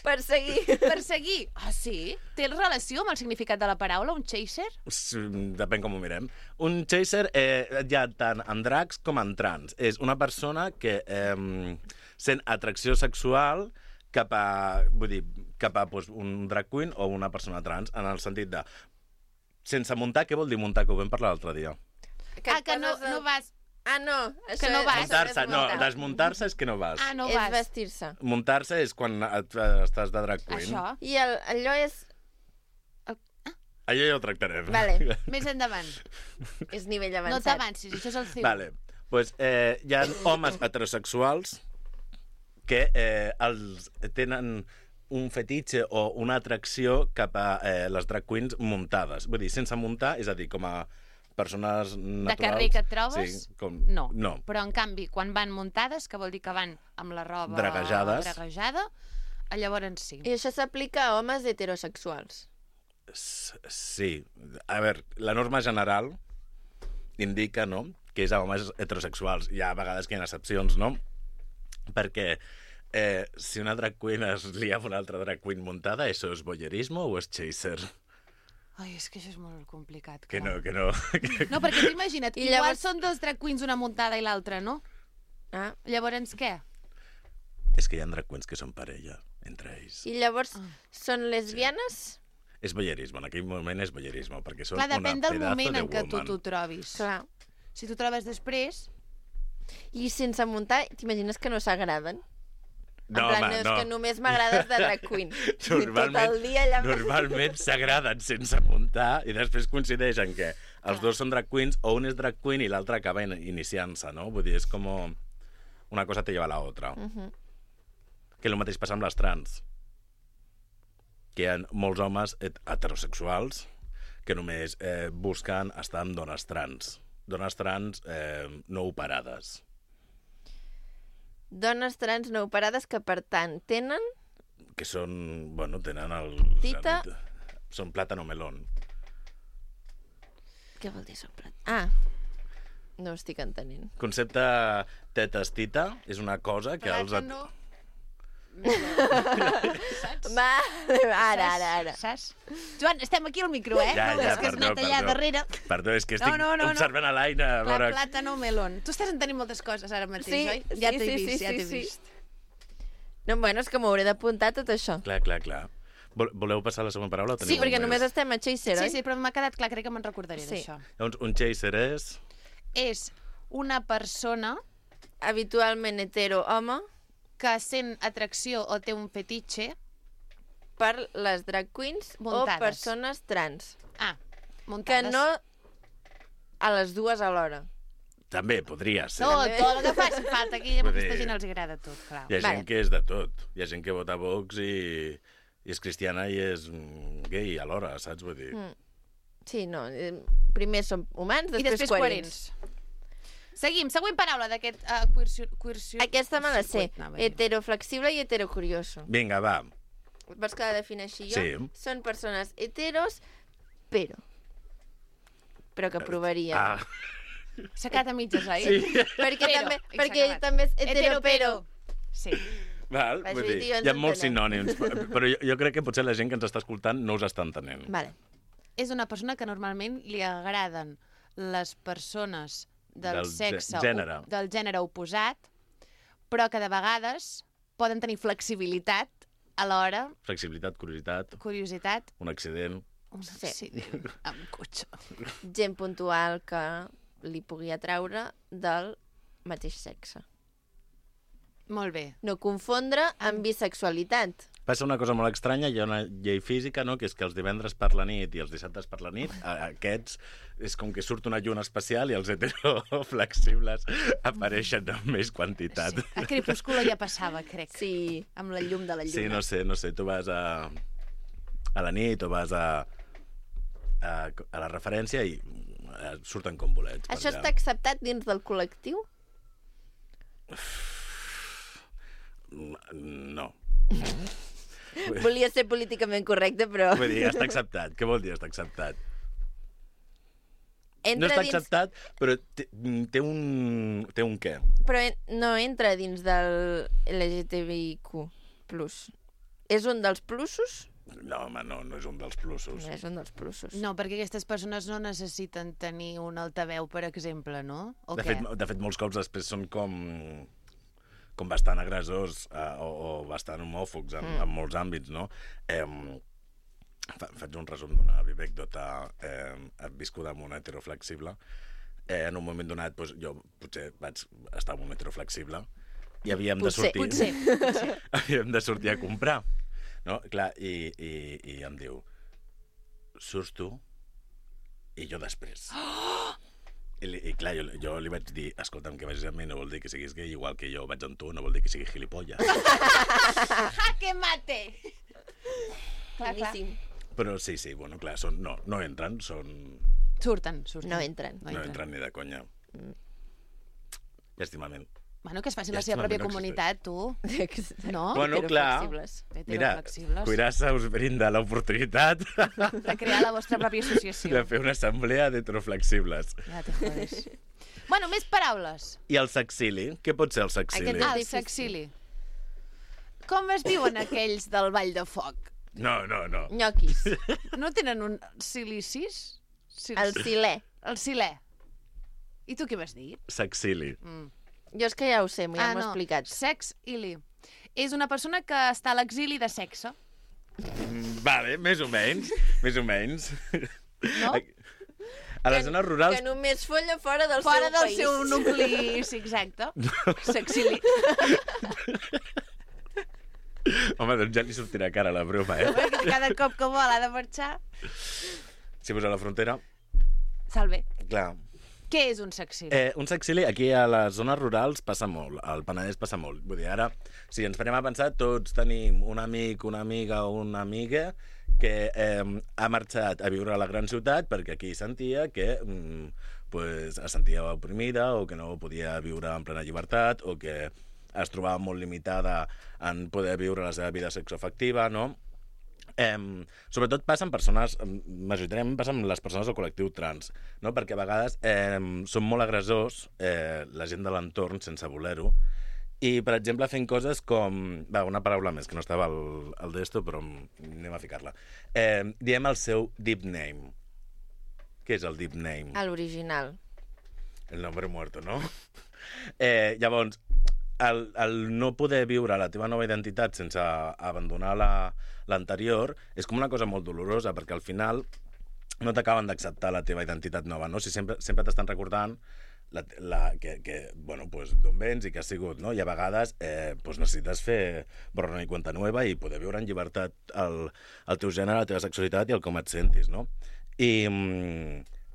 Perseguir. Perseguir. Ah, sí? Té relació amb el significat de la paraula, un chaser? Depèn com ho mirem. Un chaser hi ha tant en drags com en trans. És una persona que sent atracció sexual cap a, doncs, un drag queen o una persona trans, en el sentit de sense muntar, què vol dir muntar, que ho vam parlar l'altre dia? Que no vas... Ah, no. Això Que no vas. Muntar-se, no, desmuntar-se és que no vas. Ah, no És vas. vestir-se. Muntar-se és quan estàs de drag queen. Això. I allò és... Allò ja ho tractarem. Vale. Més endavant. És nivell No avançat. t'avancis, això és el CIU. Vale. Pues, hi ha homes heterosexuals que els tenen un fetitxe o una atracció cap a les drag queens muntades. Vull dir, sense muntar, és a dir, com a persones naturals. De carrer que et trobes? Sí, com... No. No. Però, en canvi, quan van muntades, que vol dir que van amb la roba draguejada, llavors sí. I això s'aplica a homes heterosexuals. Sí. A veure, la norma general indica, no?, que és a homes heterosexuals. Hi ha vegades que hi ha excepcions, no? Perquè si una drag queen es lia amb una altra drag queen muntada, això és voyeurisme o és chaser? Ai, és que això és molt complicat. Que clar. no, que no. No, perquè tu imagina't, I igual llavors- són dos drag queens, una muntada i l'altra, no? Ah. Llavors què? És que hi ha drag queens que són parella, entre ells. I llavors són lesbianes? És voyeurisme, en aquell moment és voyeurisme, perquè són Clar, una depèn del pedazo moment de en què tu woman. t'ho trobis. Clar. Si t'ho trobes després... I sense muntar, t'imagines que no s'agraden? No, en plan, home, és no. que només m'agrades de drag queen. I tot el dia allà... Normalment s'agraden sense muntar i després coincideixen que els dos són drag queens o un és drag queen i l'altre acaba iniciant-se, no? Vull dir, és com una cosa te lleva a la otra. Que el mateix passa amb les trans. Que hi ha molts homes heterosexuals que només busquen estar amb dones trans. Dones trans no operades. Dones trans no operades que, per tant, tenen... Que són, bueno, tenen el... Tita. Són plàtano melón. Què vol dir soplat? Ah, no ho estic entenent. Concepte tetes-tita és una cosa que els... Plàtano... Va, ara. Saps? Joan, estem aquí al micro, eh? Ja, no, ja, és que has perdó, anat allà perdó. darrere. Perdó, és que estic No. observant a l'Aina. a La veure- plàtano melón. Tu estàs entenent moltes coses ara mateix, Sí, oi? sí, Ja t'he sí, vist, sí, ja sí, t'he sí. vist. No, bueno, és que m'hauré d'apuntar tot això. Clar. Voleu passar a la següent paraula? o Sí, teniu perquè més? només estem a Chaser, Sí, oi? sí, però m'ha quedat clar, crec que me'n recordaré Sí. d'això. Llavors, un chaser és... És una persona Habitualment hetero-home que sent atracció o té un fetitxe... per les drag queens Muntades. o persones trans. Ah, Que muntades. no a les dues alhora. També podria ser. Tot el que faci falta, aquí a Vull aquesta dir- gent els agrada tot, clar. Hi ha Vale. gent que és de tot. Hi ha gent que vota Vox i és cristiana i és gay alhora, saps? Vull dir... Sí, no. Primer som humans, I després, després coherents. Seguim, següent paraula d'aquest coerció... Aquesta me la sé. Circuit, anava a dir. Heteroflexible i heterocurioso. Vinga, va. Vols que la defineixi jo? Sí. Són persones heteros, però que provaria. Ah, S'ha quedat a mitges, oi? sí. Perquè, Però, també, i s'ha perquè ell acabat. també és hetero, però. Sí. Val, Vaig vull dir, dir, tio, ens hi ha molts entenem. sinònims, però jo crec que potser la gent que ens està escoltant no us està entenent. Vale. És una persona que normalment li agraden les persones del Del sexe gènere. del gènere oposat, però que de vegades poden tenir flexibilitat alhora, Flexibilitat, curiositat, un accident... un Sí. accident amb cotxe. Gent puntual que li pugui atraure del mateix sexe. Molt bé. No confondre amb bisexualitat. Passa una cosa molt estranya, hi ha una llei física, no?, que és que els divendres per la nit i els dissabtes per la nit, aquests és com que surt una lluna especial i els heteroflexibles apareixen amb més quantitat. Sí. A Crepúsculo ja passava, crec. Sí. Amb la llum de la lluna. Sí, no sé, tu vas a la nit o vas a la referència i surten com bolets. Això està acceptat dins del col·lectiu? No. Volia ser políticament correcte, però... Vull dir, està acceptat. Què vol dir està acceptat? No Entra està dins... acceptat, però té un què. Però no entra dins del LGTBIQ+. És un dels plusos? No, home, no és un dels plusos. No és un dels plusos. No, perquè aquestes persones no necessiten tenir un altaveu, per exemple, no? O De què? fet, molts cops després són com bastant agressors o bastant homòfobs en molts àmbits, no? Faig un resum d'una anècdota viscuda amb un heteroflexible. En un moment donat, doncs, jo potser vaig estar amb un heteroflexible i havíem de sortir... Potser. Havíem de sortir a comprar, no? Clar, i em diu, surts tu i jo després. I clar, jo li vaig dir, escolta'm, que vagis amb mi no vol dir que siguis gay, igual que jo vaig amb tu, no vol dir que sigui gilipolles. Jaque mate! Clar, clar. Boníssim. Però sí, bueno, clar, no entren, Surten. No entren. no entren ni de conya. Llàstimament. Bueno, que es facin Ja la seva està, pròpia no comunitat, tu. No? Bueno, clar, Heteroflexibles. mira, Heteroflexibles. Cuirassa us brinda l'oportunitat De crear la vostra pròpia associació. de fer una assemblea d'heteroflexibles. Ja te jodes. Bueno, més paraules. I el sexili? Què pot ser el sexili? Aquest El sexili. Com es diuen aquells del Ball de Foc? No. Nyoquis. No tenen un silicis? El silè. El silè. I tu què vas dir? Sexili. Jo és que ja ho sé, ja m'ho he explicat. Sex-ili. És una persona que està a l'exili de sexe. Vale, més o menys. No? A les zones rurals... Que només folla fora del Fora seu del país. seu nucli, sí, exacte. Sexili. Home, doncs ja li sortirà cara la broma, Perquè cada cop que vol ha de marxar. Si vas a la frontera... Salve. Clar. Què és un sexili? Un sexili aquí a les zones rurals passa molt, al Penedès passa molt. Vull dir, ara, si ens farem a pensar, tots tenim un amic, una amiga o una amiga que ha marxat a viure a la gran ciutat perquè aquí sentia que pues, es sentia oprimida o que no podia viure en plena llibertat o que es trobava molt limitada en poder viure la seva vida sexoafectiva, no? Sobretot passa amb persones, majoritàriament passa amb les persones del col·lectiu trans, no? Perquè a vegades són molt agressors la gent de l'entorn sense voler-ho i, per exemple, fent coses com... Va, una paraula més, que no estava al d'esto, però anem a ficar-la. Diem el seu deep name. Què és el deep name? L'original. El nombre muerto, no? Llavors, el no poder viure la teva nova identitat sense abandonar l'anterior és com una cosa molt dolorosa, perquè al final no t'acaben d'acceptar la teva identitat nova, no? Si sempre t'estan recordant bueno, pues, d'on vens i què has sigut, no? I a vegades pues necessites fer borrón i cuenta nueva i poder viure en llibertat el teu gènere, la teva sexualitat i el com et sentis, no?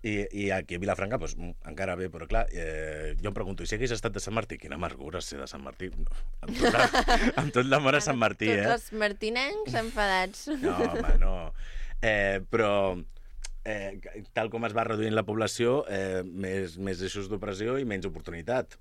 I aquí a Vilafranca, pues, encara bé, però clar, jo em pregunto, i si hagués estat de Sant Martí? Quina amargura ser de Sant Martí. No, amb tot l'amor a Sant Martí, Tots els martinencs enfadats. No, home, no. Però tal com es va reduint la població, més eixos d'opressió i menys oportunitat.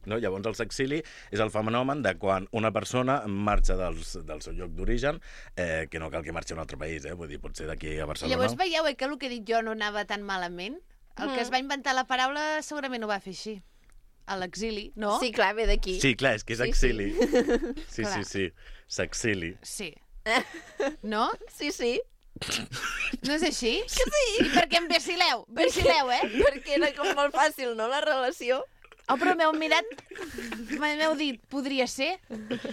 No? Llavors el sexili és el fenomen de quan una persona marxa del seu lloc d'origen, que no cal que marxi a un altre país, vull dir, pot ser d'aquí a Barcelona. Llavors veieu que el que he dit jo no anava tan malament? El que es va inventar la paraula segurament ho va fer així. A l'exili, no? Sí, clar, ve d'aquí. Sí, clar, és que és Sí, exili. Sí, Clar. sí, sexili. Sí. No? Sí, sí. No és així? Que sí! I per què em vacileu? Vacileu, Perquè era com molt fàcil, no, la relació? Oh, però m'heu mirat... M'heu dit, podria ser?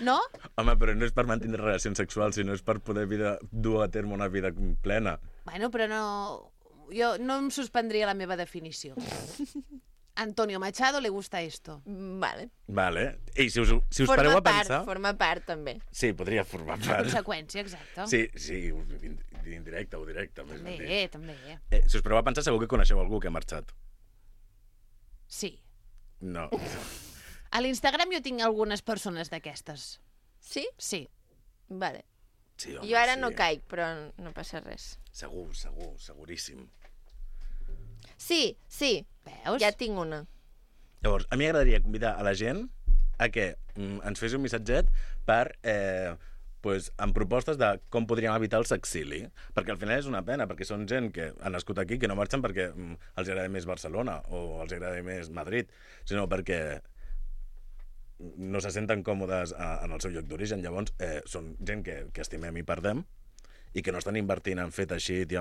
No? Home, però no és per mantenir relacions sexuals, sinó és per poder dur a terme una vida plena. Bueno, però no... Jo no em suspendria la meva definició. Antonio Machado le gusta esto. Vale. Vale. I si us pareu a pensar... Forma part, també. Sí, podria formar part. Conseqüència, exacte. Sí, indirecte o directe. Més ben dit. També. Si us pareu a pensar, segur que coneixeu algú que ha marxat. Sí. No. A l'Instagram jo tinc algunes persones d'aquestes. Sí? Sí. Vale. Sí, home, Jo ara sí. no caic, però no passa res. Segur, seguríssim. Sí, Veus? ja tinc una. Llavors, a mi m'agradaria convidar a la gent a que ens fes un missatget per... pues, amb propostes de com podríem evitar el sexili. Perquè al final és una pena, perquè són gent que ha nascut aquí, que no marxen perquè els agrada més Barcelona o els agrada més Madrid, sinó perquè no se senten còmodes en el seu lloc d'origen. Llavors, són gent que estimem i perdem i que no estan invertint en fer teixit i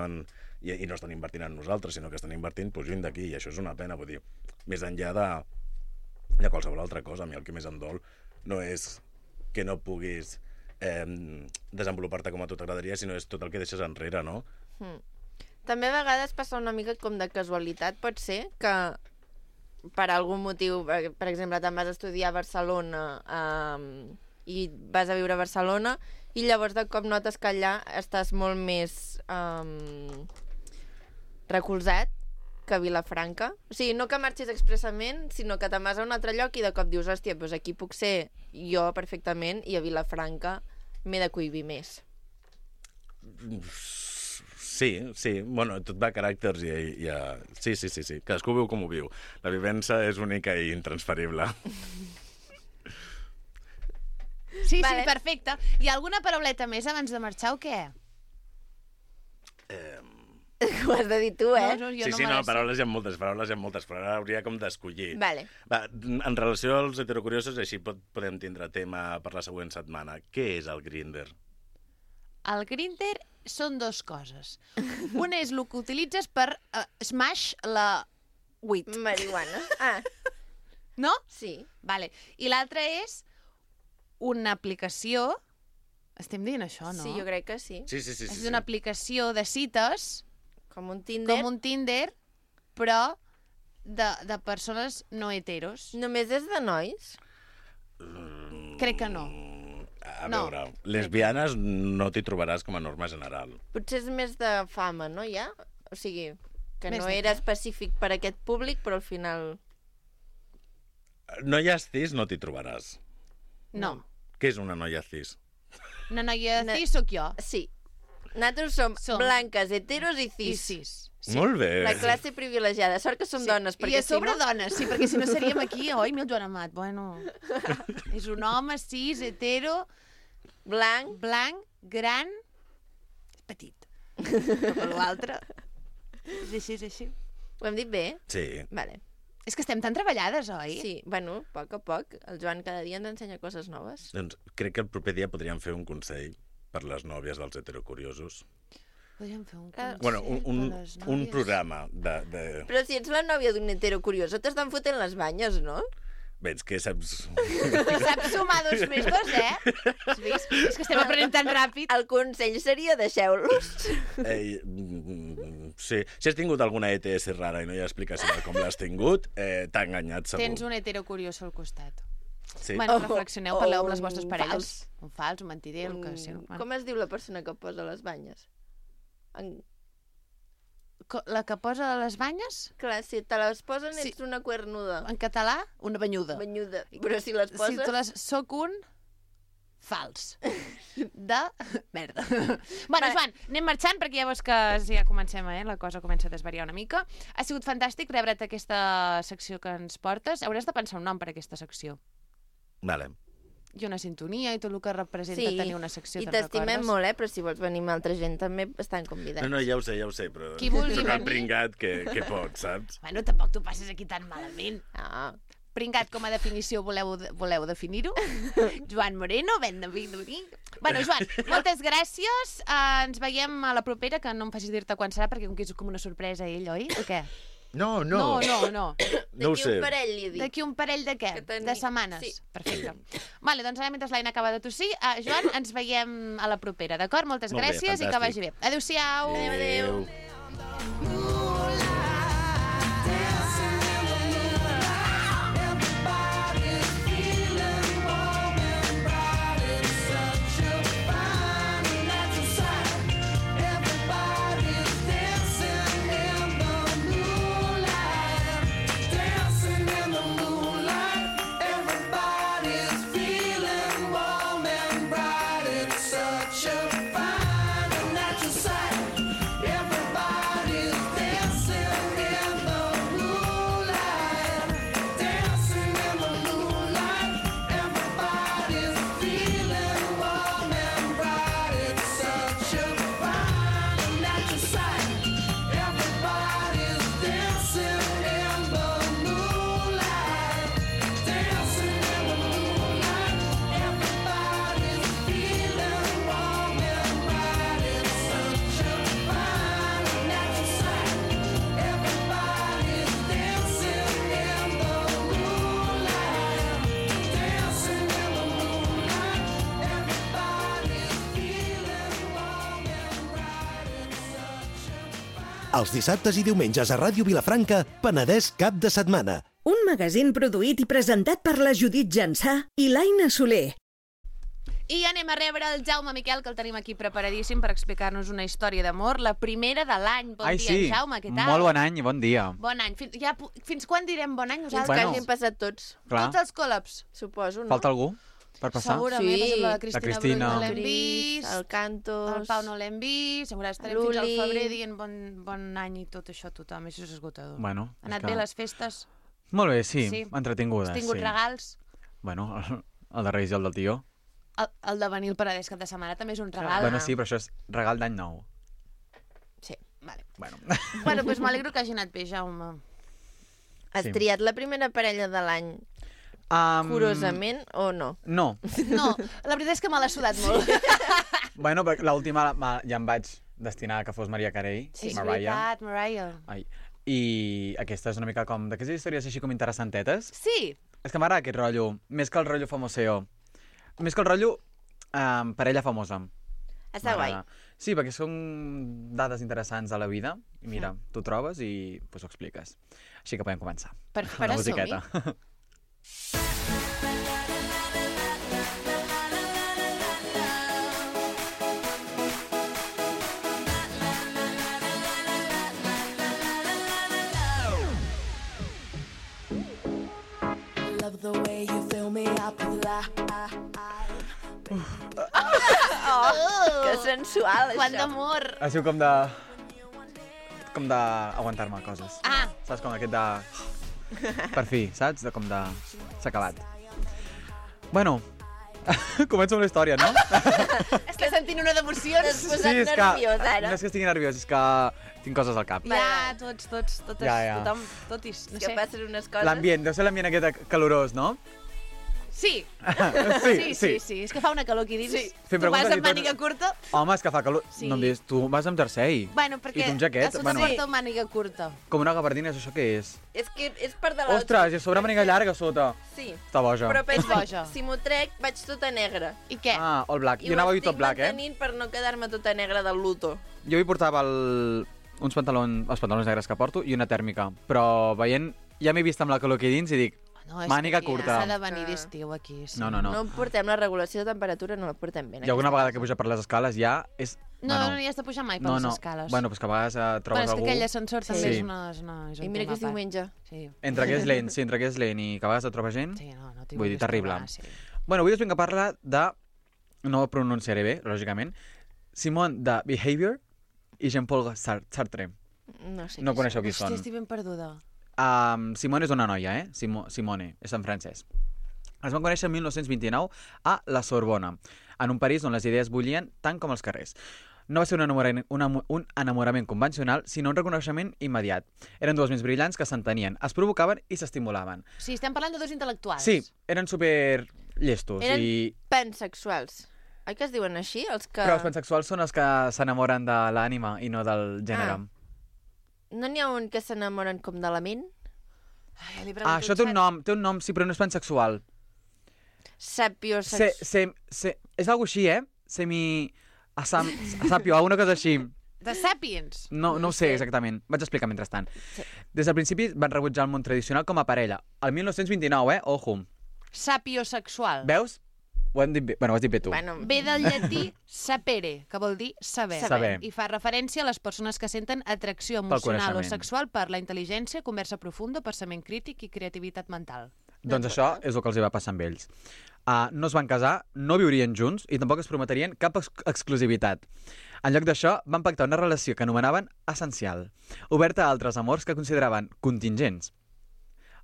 no estan invertint en nosaltres, sinó que estan invertint pues, lluny d'aquí, i això és una pena. Vull dir, més enllà de qualsevol altra cosa, a mi el que més em dol no és que no puguis desenvolupar-te com a tu t'agradaria, sinó és tot el que deixes enrere, no? També a vegades passa una mica com de casualitat, pot ser, que per algun motiu, per exemple, te'n vas a estudiar a Barcelona i vas a viure a Barcelona i llavors de cop notes que allà estàs molt més recolzat que a Vilafranca. O sigui, no que marxis expressament, sinó que te'n vas a un altre lloc i de cop dius, hòstia, doncs aquí puc ser jo perfectament i a Vilafranca m'he de cohibir més. Sí. Bueno, tot va a caràcters i a... Sí. Cadascú viu com ho viu. La vivència és única i intransferible. Sí, Vale. perfecte. I alguna parauleta més abans de marxar o què? Ho has de dir tu, eh? No, jo Sí, me no, les sé. paraules hi ha moltes, però ara hauria com d'escollir. Vale. Va, en relació als heterocuriosos, així podem tindre tema per la següent setmana. Què és el Grindr? El Grindr són dues coses. Un és el que utilitzes per smash la weed, Marihuana. Ah, no? sí. Vale. I l'altre és una aplicació... Estem dient això, no? Sí, jo crec que sí. Sí. És una aplicació de cites, Com un Tinder. com un Tinder, però de persones no heteros. Només és de nois? Crec que no. A No. veure, lesbianes no t'hi trobaràs com a norma general. Potser és més de fama, no, ja? O sigui, que Més no de era què? específic per a aquest públic, però al final... Noies cis no t'hi trobaràs. No. Què és una noia cis? Una noia No. cis sóc jo. Sí. Nosaltres som blanques, heteros i I cis. cis. Molt bé. La classe privilegiada. Sort que som dones, I perquè a sobre si no... dones, sí, perquè si no seríem aquí, oi, mil Joan Amat, bueno... És un home cis, hetero, Blanc. blanc, gran, petit. Però l'altre... És així. Ho hem dit bé? Sí. Vale. És que estem tan treballades, oi? Sí, bueno, a poc a poc. El Joan cada dia ens ensenya coses noves. Doncs crec que el proper dia podríem fer un consell per les nòvies dels heterocuriosos. Podríem fer un Ah, consell Bueno, un per les un nòvies. programa de... Però si ets la nòvia d'un hetero curioso, t'estan fotent les banyes, no? Veig que saps... Saps sumar 2 més 2, Has vist? És que estem aprenent tan ràpid. El consell seria deixeu-los. Sí. Si has tingut alguna ETS rara i no hi ha explicació de com l'has tingut, t'ha enganyat segur. Tens un hetero curiós al costat. Sí. Bueno, O- reflexioneu, o parleu amb les un vostres parelles. Un fals, un mentider, el que sigui. Com es diu la persona que posa les banyes? La que posa les banyes, Clar, si te les posen Sí. ets una cuernuda. en català, una banyuda. Banyuda. Però si les Si poses... tu les... Soc un fals. De merda. Bueno, Joan, anem marxant perquè ja veus que ja comencem, la cosa comença a desvariar una mica. Ha sigut fantàstic rebre't aquesta secció que ens portes. Hauràs de pensar un nom per a aquesta secció. Vale. I una sintonia i tot el que representa Sí, tenir una secció, i te'n t'estimem recordes? molt, però si vols venir amb altra gent també estan convidats. No, ja ho sé, però... Qui vulgui Soc el venir. pringat que pot, saps? Bueno, tampoc t'ho passes aquí tan malament. Ah, Pringat com a definició voleu definir-ho? Joan Moreno, ben de venir. Bueno, Joan, moltes gràcies. Ens veiem a la propera, que no em facis dir-te quan serà, perquè com que és com una sorpresa ell, oi? O què? No. No. No ho d'aquí sé. un parell li dic. D'aquí un parell de què? Que teni- De setmanes? Sí. Perfecte. Vale, doncs ara mentre l'Aina acaba de tossir, Joan, ens veiem a la propera, d'acord? Moltes Molt bé, gràcies i que fantàstic. vagi bé. Adéu-siau. Adéu. Moonlight, dancing in the moonlight. Els dissabtes i diumenges a Ràdio Vilafranca, Penedès cap de setmana. Un magazín produït i presentat per la Judit Jansà i l'Aina Soler. I anem a rebre el Jaume Miquel, que el tenim aquí preparadíssim per explicar-nos una història d'amor, la primera de l'any. Bon dia, Jaume, què tal? Molt bon any i bon dia. Bon any. Fins quan direm bon any Fins nosaltres? que hagin passat tots, Clar. Tots els col·laps. suposo, no? Falta algú per passar? Segurament, Sí. per exemple, la Cristina, Cristina. Brull no l'hem Cris, vist, el Cantos... el Pau no l'hem vist, segurament estarem fins al Luli. febrer dient bon any i tot això a tothom, això és esgotador. Bueno, Han anat bé les festes? Molt bé, sí, Sí. entretingudes. Has tingut sí. regals? Bueno, el de Reis i el del tio. El de venir al Paradès cap de setmana també és un regal. Bueno, sí, però això és regal d'any nou. Sí, vale. Bueno. Bueno, doncs m'alegro que hagi anat bé, Jaume. Has Sí. triat la primera parella de l'any curosament o no? No. No, la veritat és que me l'ha sudat molt. Bueno, perquè l'última ja em vaig destinar a que fos Maria Carey, Sí, és Mariah. veritat, Mariah. Ai. I aquesta és una mica com d'aquestes històries així com interessantetes. Sí, És que m'agrada aquest rotllo, més que el rotllo famoseo. Més que el rotllo parella famosa. Està guai. M'agrada. Sí, perquè són dades interessants a la vida. I mira, tu trobes i pues, ho expliques. Així que podem començar. per Una som-hi. musiqueta. Love the way you fill me up with Que sensual, Quant això. d'amor. Ha sigut com d'aguantar-me coses. Ah, Saps, com aquest de... Per fi, saps? Com de... S'ha acabat. Bueno, començo amb la història, no? estic sentint una d'emocions. T'has posat nerviós, ara. No és que estigui nerviós, és que tinc coses al cap. Ja, totes, Ja. tothom, totis, no Que sé. passen unes coses... L'ambient, deu ser l'ambient aquest calorós, no? Sí, Sí, sí, és que fa una calor aquí dins. Sí. Fem Tu vas preguntes i amb màniga tot- curta? Home, és que fa calor. Sí. No em diguis, tu vas amb jersei. Bueno, perquè I tu amb jaquet, a sota bueno. porta màniga curta. Com una gabardina, és això què és? És que és part de l'altre. Ostres, i a sobre màniga llarga a sota. Sí. Està boja. Però pensa, boja. si m'ho trec, vaig tota negra. I què? Ah, all black. I Jo anava a dir ho tot black, estic mantenint per no quedar-me tota negra del luto. Jo hi portava els pantalons negres que porto i una tèrmica. Però veient, ja m'he vist amb la calor aquí dins i dic, No, és màniga que aquí curta. S'ha de venir d'estiu aquí, sí. no. No portem la regulació de temperatura, no la portem bé. I alguna vegada que puja per les escales ja és... No, no hi has de pujar mai per les escales. Bueno, pues que a vegades trobes és que algú... aquell ascensor també Sí. és un I mira que és tema a part. diumenge. Sí. Entre que és lent, sí, entre que és lent i que a vegades et trobes gent... Sí, no t'hi Vull dir, vulguis terrible. trobar, sí. Bueno, avui us vinc a parlar de... No ho pronunciaré bé, lògicament. Simone de Behavior i Jean-Paul Sartre. No sé No què coneixeu qui Hòstia, són. estic ben perduda. Simone és una noia, Simone, és en francès. Es van conèixer el 1929 a la Sorbona, en un París on les idees bullien tant com els carrers. No va ser un enamorament convencional, sinó un reconeixement immediat. Eren dues ments brillants que s'entenien, es provocaven i s'estimulaven. Sí, estem parlant de dos intel·lectuals. Sí, eren super llestos. Eren I... pansexuals. Oi que es diuen així? Els que... Però els pansexuals són els que s'enamoren de l'ànima i no del gènere. No n'hi ha un que s'enamoren com de la ment? Ai, ja li pregunto Això té un nom, sí, però no és pansexual. És algo així, Sapio, alguna cosa així. De Sapiens. No ho sé exactament. Vaig explicar mentrestant. Des del principi van rebutjar el món tradicional com a parella. El 1929, ojo. Sapiosexual. Veus? Ho has dit bé, ho has dit bé tu. Bueno, Ve del llatí sapere, que vol dir saber. Saber. I fa referència a les persones que senten atracció Pel emocional o coneixement. sexual per la intel·ligència, conversa profunda, pensament crític i creativitat mental. Doncs això és el que els hi va passar amb ells. No es van casar, no viurien junts i tampoc es prometrien cap exclusivitat. En lloc d'això, van pactar una relació que anomenaven essencial, oberta a altres amors que consideraven contingents.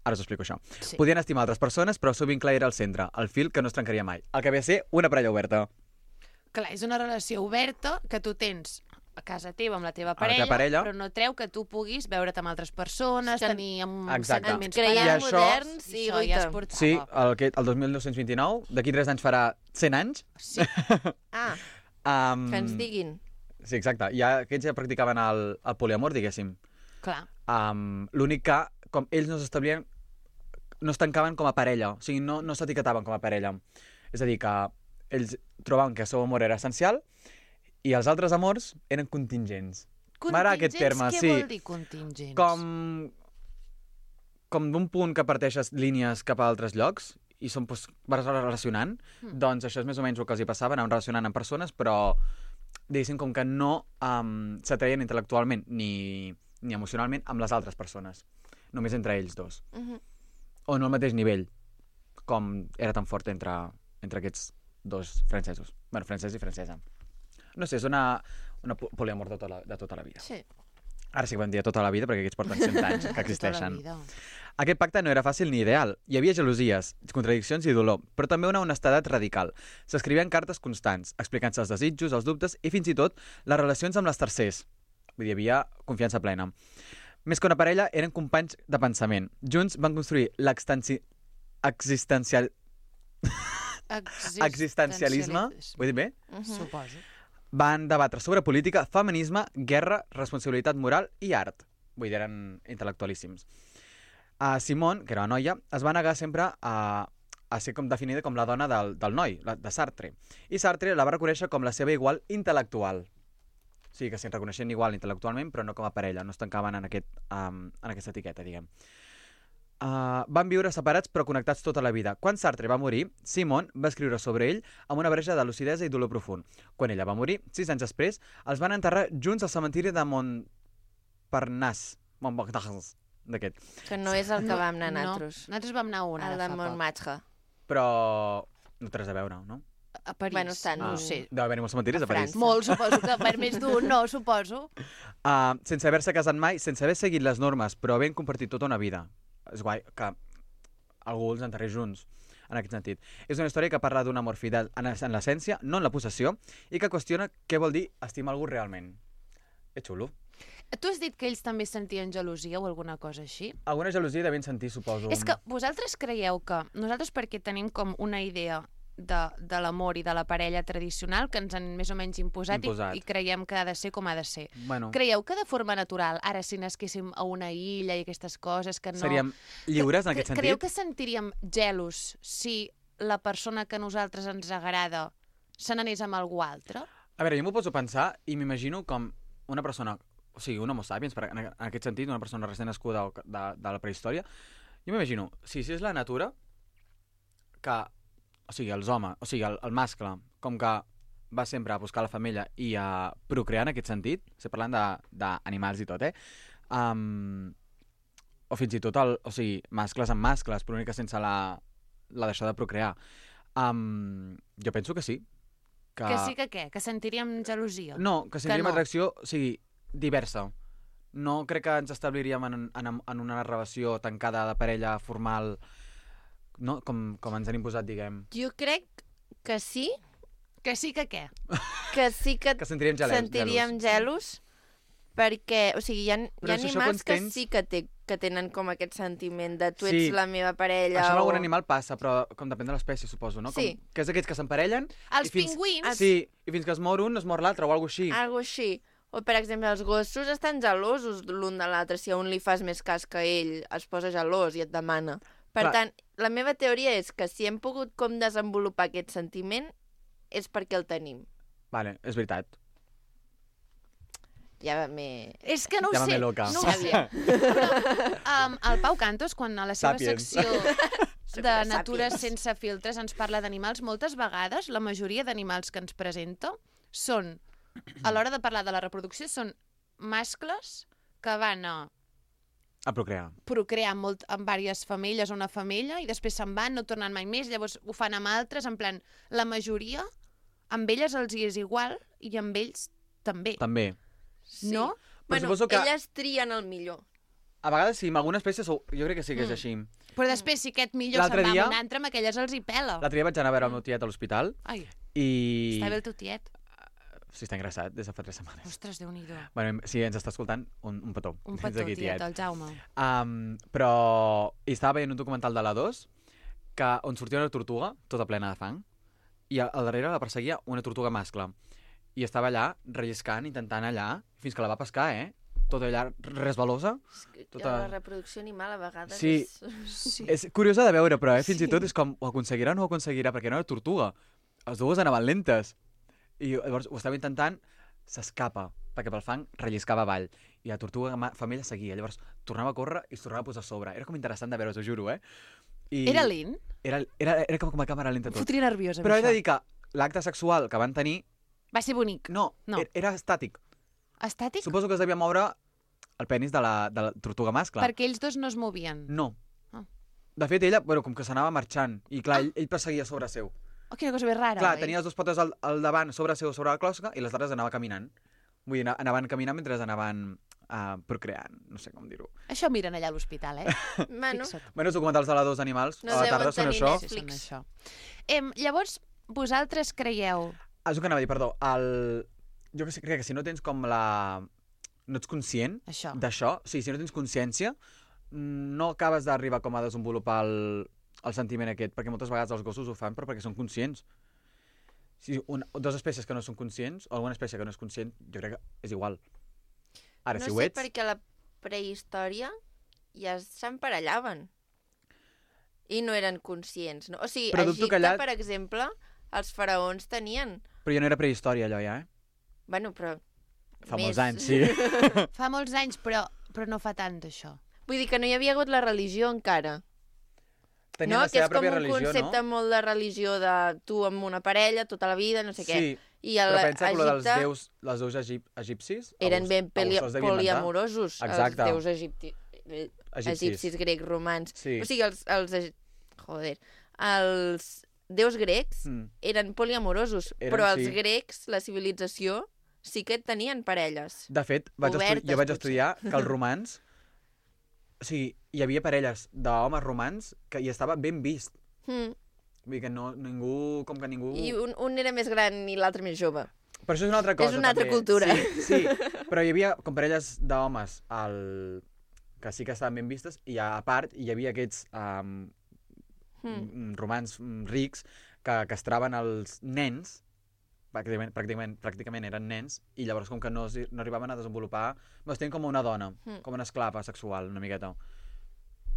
Ara us explico això. Sí. Podien estimar altres persones, però el seu vincle era al centre, el fil que no es trencaria mai. El que ve a ser una parella oberta. Clar, és una relació oberta que tu tens a casa teva amb la teva Amb la teva parella, parella. però no treu que tu puguis veure't amb altres persones, Que- tenir Exacte. sentiments Ens creiem I això- moderns I i això ja es guaita. portava. Sí, el 2229, d'aquí 3 anys farà 100 anys. Sí. Ah, Um, que ens diguin. Sí, exacte. Aquests ja practicaven el poliamor, diguéssim. Clar. L'únic que, com ells no s'establien, no es tancaven com a parella, o sigui, no s'etiquetaven com a parella. És a dir, que ells trobaven que el seu amor era essencial i els altres amors eren contingents. M'agrada aquest terme, Què sí. vol dir contingents? Com d'un punt que parteixes línies cap a altres llocs i són, doncs, vas relacionant, doncs això és més o menys el que els hi passava, anaven relacionant amb persones, però diguéssim com que no s'atreien intel·lectualment ni emocionalment amb les altres persones, només entre ells dos. O no al mateix nivell, com era tan fort entre aquests dos francesos. Bueno, francès i francesa. No sé, és una poliamor de tota la vida. Sí. Ara sí que vam dir tota la vida, perquè aquests porten 100 anys que existeixen. Tota la vida. Aquest pacte no era fàcil ni ideal. Hi havia gelosies, contradiccions i dolor, però també una honestedat radical. S'escrivien cartes constants, explicant-se els desitjos, els dubtes i fins i tot les relacions amb les tercers. Vull dir, hi havia confiança plena. Més que una parella, eren companys de pensament. Junts van construir existencialisme. Vull dir bé? Suposo. Van debatre sobre política, feminisme, guerra, responsabilitat moral i art. Vull dir, eren intel·lectualíssims. Simone, que era una noia, es va negar sempre a ser com definida com la dona del noi, de Sartre. I Sartre la va reconèixer com la seva igual intel·lectual. O sigui, que s'hi reconeixien igual intel·lectualment, però no com a parella, no es tancaven en aquesta etiqueta, diguem. Van viure separats però connectats tota la vida. Quan Sartre va morir, Simone va escriure sobre ell amb una barreja de lucidesa i dolor profund. Quan ella va morir, 6 anys després, els van enterrar junts al cementiri de Montparnasse. D'aquest. Que no és el que vam anar nosaltres. No, nosaltres vam anar a una El de Montmartre. Però no té res a veure, no? A París. Bueno, estan- No ho sé. Deu haver-hi molts cementiris a París. França. Molt, suposo que per més d'un, no, suposo. Sense haver-se casat mai, sense haver seguit les normes, però havent compartit tota una vida. És guai que algú els enterrés junts, en aquest sentit. És una història que parla d'un amor fidel en l'essència, no en la possessió, i que qüestiona què vol dir estimar algú realment. És xulo. Tu has dit que ells també sentien gelosia o alguna cosa així? Alguna gelosia devien sentir, suposo. És que vosaltres creieu que nosaltres, perquè tenim com una idea de l'amor i de la parella tradicional que ens han més o menys imposat. I creiem que ha de ser com ha de ser. Bueno. Creieu que de forma natural, ara si nasquéssim a una illa i aquestes coses que no... Seríem lliures en aquest sentit? Creieu que sentiríem gelos si la persona que a nosaltres ens agrada se n'anés amb algú altre? A veure, jo m'ho poso a pensar i m'imagino com una persona, o sigui, un homo sapiens, en aquest sentit, una persona recent nascuda de la prehistòria, jo m'imagino, si és la natura, que, o sigui, els homes, o sigui, el mascle, com que va sempre a buscar la femella i a procrear en aquest sentit, estic parlant d'animals i tot, o fins i tot, o sigui, mascles amb mascles, però única sense la deixar de procrear. Jo penso que sí. Que sí que què? Que sentiríem gelosia? No, que sentiríem atracció, o sigui, diversa. No crec que ens establiríem en una relació tancada de parella formal, no? Com ens han imposat, diguem. Jo crec que sí. Que sí que què? Que sí que sentiríem gelos, perquè, o sigui, hi ha animals que sí que tenen com aquest sentiment de tu ets la meva parella. Això amb algun animal passa, però com depèn de l'espècie, suposo, no? Sí. Que és aquells que s'emparellen... Els pingüins! Sí, i fins que es mor un, es mor l'altre, o alguna així. Algo així. O, per exemple, els gossos estan gelosos l'un de l'altre. Si a un li fas més cas que ell, es posa gelós i et demana. Per tant, la meva teoria és que si hem pogut com desenvolupar aquest sentiment és perquè el tenim. Vale, és veritat. És que no ho sé. Llámame loca. No ho sabia. El Pau Cantos, quan a la seva secció de Natura sense filtres ens parla d'animals, moltes vegades la majoria d'animals que ens presenta són, a l'hora de parlar de la reproducció, són mascles que van a procrear amb diverses femelles o una femella i després se'n van, no tornen mai més, llavors ho fan amb altres, en plan, la majoria, amb elles els hi és igual i amb ells també. També. Sí. No? Bueno, elles trien el millor. A vegades sí, amb algunes espècies jo crec que sí que és així. Però després, si aquest millor se'n va amb un altre, amb aquelles els hi pela. L'altre dia vaig anar a veure el meu tiet a l'hospital. Ai, i... està bé el teu tiet? Sí, està ingressat des de fa 3 setmanes. Ostres, Déu-n'hi-do. Bueno, si ens està escoltant, un petó. Un petó, tiet, el Jaume. Però estava veient un documental de l'A2 on sortia una tortuga, tota plena de fang, i al darrere la perseguia una tortuga mascle. I estava allà, relliscant, intentant allà, fins que la va pescar, Tota allà resbalosa. La reproducció animal a vegades és curiosa de veure, però fins i tot és com, ho aconseguirà o no ho aconseguirà, perquè no era tortuga. Les dues anaven lentes. I llavors ho estava intentant s'escapa, perquè pel fang relliscava avall, i la tortuga femella seguia, llavors tornava a córrer i es tornava a posar a sobre. Era com interessant de veure, us ho juro, I Era lent? Era com a càmera lenta Em tot. fotria nerviosa amb Però he de això. dir que l'acte sexual que van tenir, Va ser bonic. no, era estàtic. Estàtic? Suposo que es devia moure el penis de la tortuga mascle. Perquè ells dos no es movien. No. Ah. De fet, ella, com que s'anava marxant, i clar, ell perseguia sobre seu. Oh, quina cosa més rara, Clar, oi? tenia les dues potes al davant, sobre seu, sobre la closca, i les altres anava caminant. Vull dir, anaven caminant mentre anaven procreant, no sé com dir-ho. Això miren allà a l'hospital, Bueno, Fixa't. Bueno, els documentals de la dos animals, No a la deuen tarda són tenir això. Netflix. Sí, són això. Llavors, vosaltres creieu... És el que anava a dir, perdó. Jo crec que si no tens com la... No ets conscient Això. d'això, sí, si no tens consciència, no acabes d'arribar com a desenvolupar el sentiment aquest, perquè moltes vegades els gossos ho fan però perquè són conscients. Si dues espècies que no són conscients, o alguna espècie que no és conscient, jo crec que és igual. Ara, no si ho sé ets... perquè a la prehistòria ja s'emparellaven i no eren conscients. No? O sigui, Però a dubto que Egipte, allà- per exemple, els faraons tenien... Però ja no era prehistòria allò ja, Bueno, però... Fa més. molts anys, sí. Fa molts anys, però no fa tant, això. Vull dir que no hi havia hagut la religió encara. Tenien no? la Que seva és com pròpia un religió, concepte no? molt de religió de tu amb una parella tota la vida, no sé què. Sí, I a però pensa que lo dels Egipte els déus egipcis... eren ben algú se'ls devia inventar. poliamorosos, Exacte. els déus egipcis, grecs, romans. Sí. O sigui, els déus grecs Mm. eren poliamorosos, Eren, però els sí. grecs, la civilització, sí que tenien parelles. De fet, jo vaig Obertes, estudiar que els romans... O sigui, hi havia parelles d'homes romans que hi estava ben vist. Mm. Vull dir que ningú... Com que ningú... I un era més gran i l'altre més jove. Però això és una altra cosa, És una altra també. cultura. Sí, però hi havia com parelles d'homes que sí que estaven ben vistes, i a part hi havia aquests romans rics que castraven els nens, pràcticament eren nens, i llavors com que no arribaven a desenvolupar... Es tenien com una dona, com una esclava sexual, una miqueta.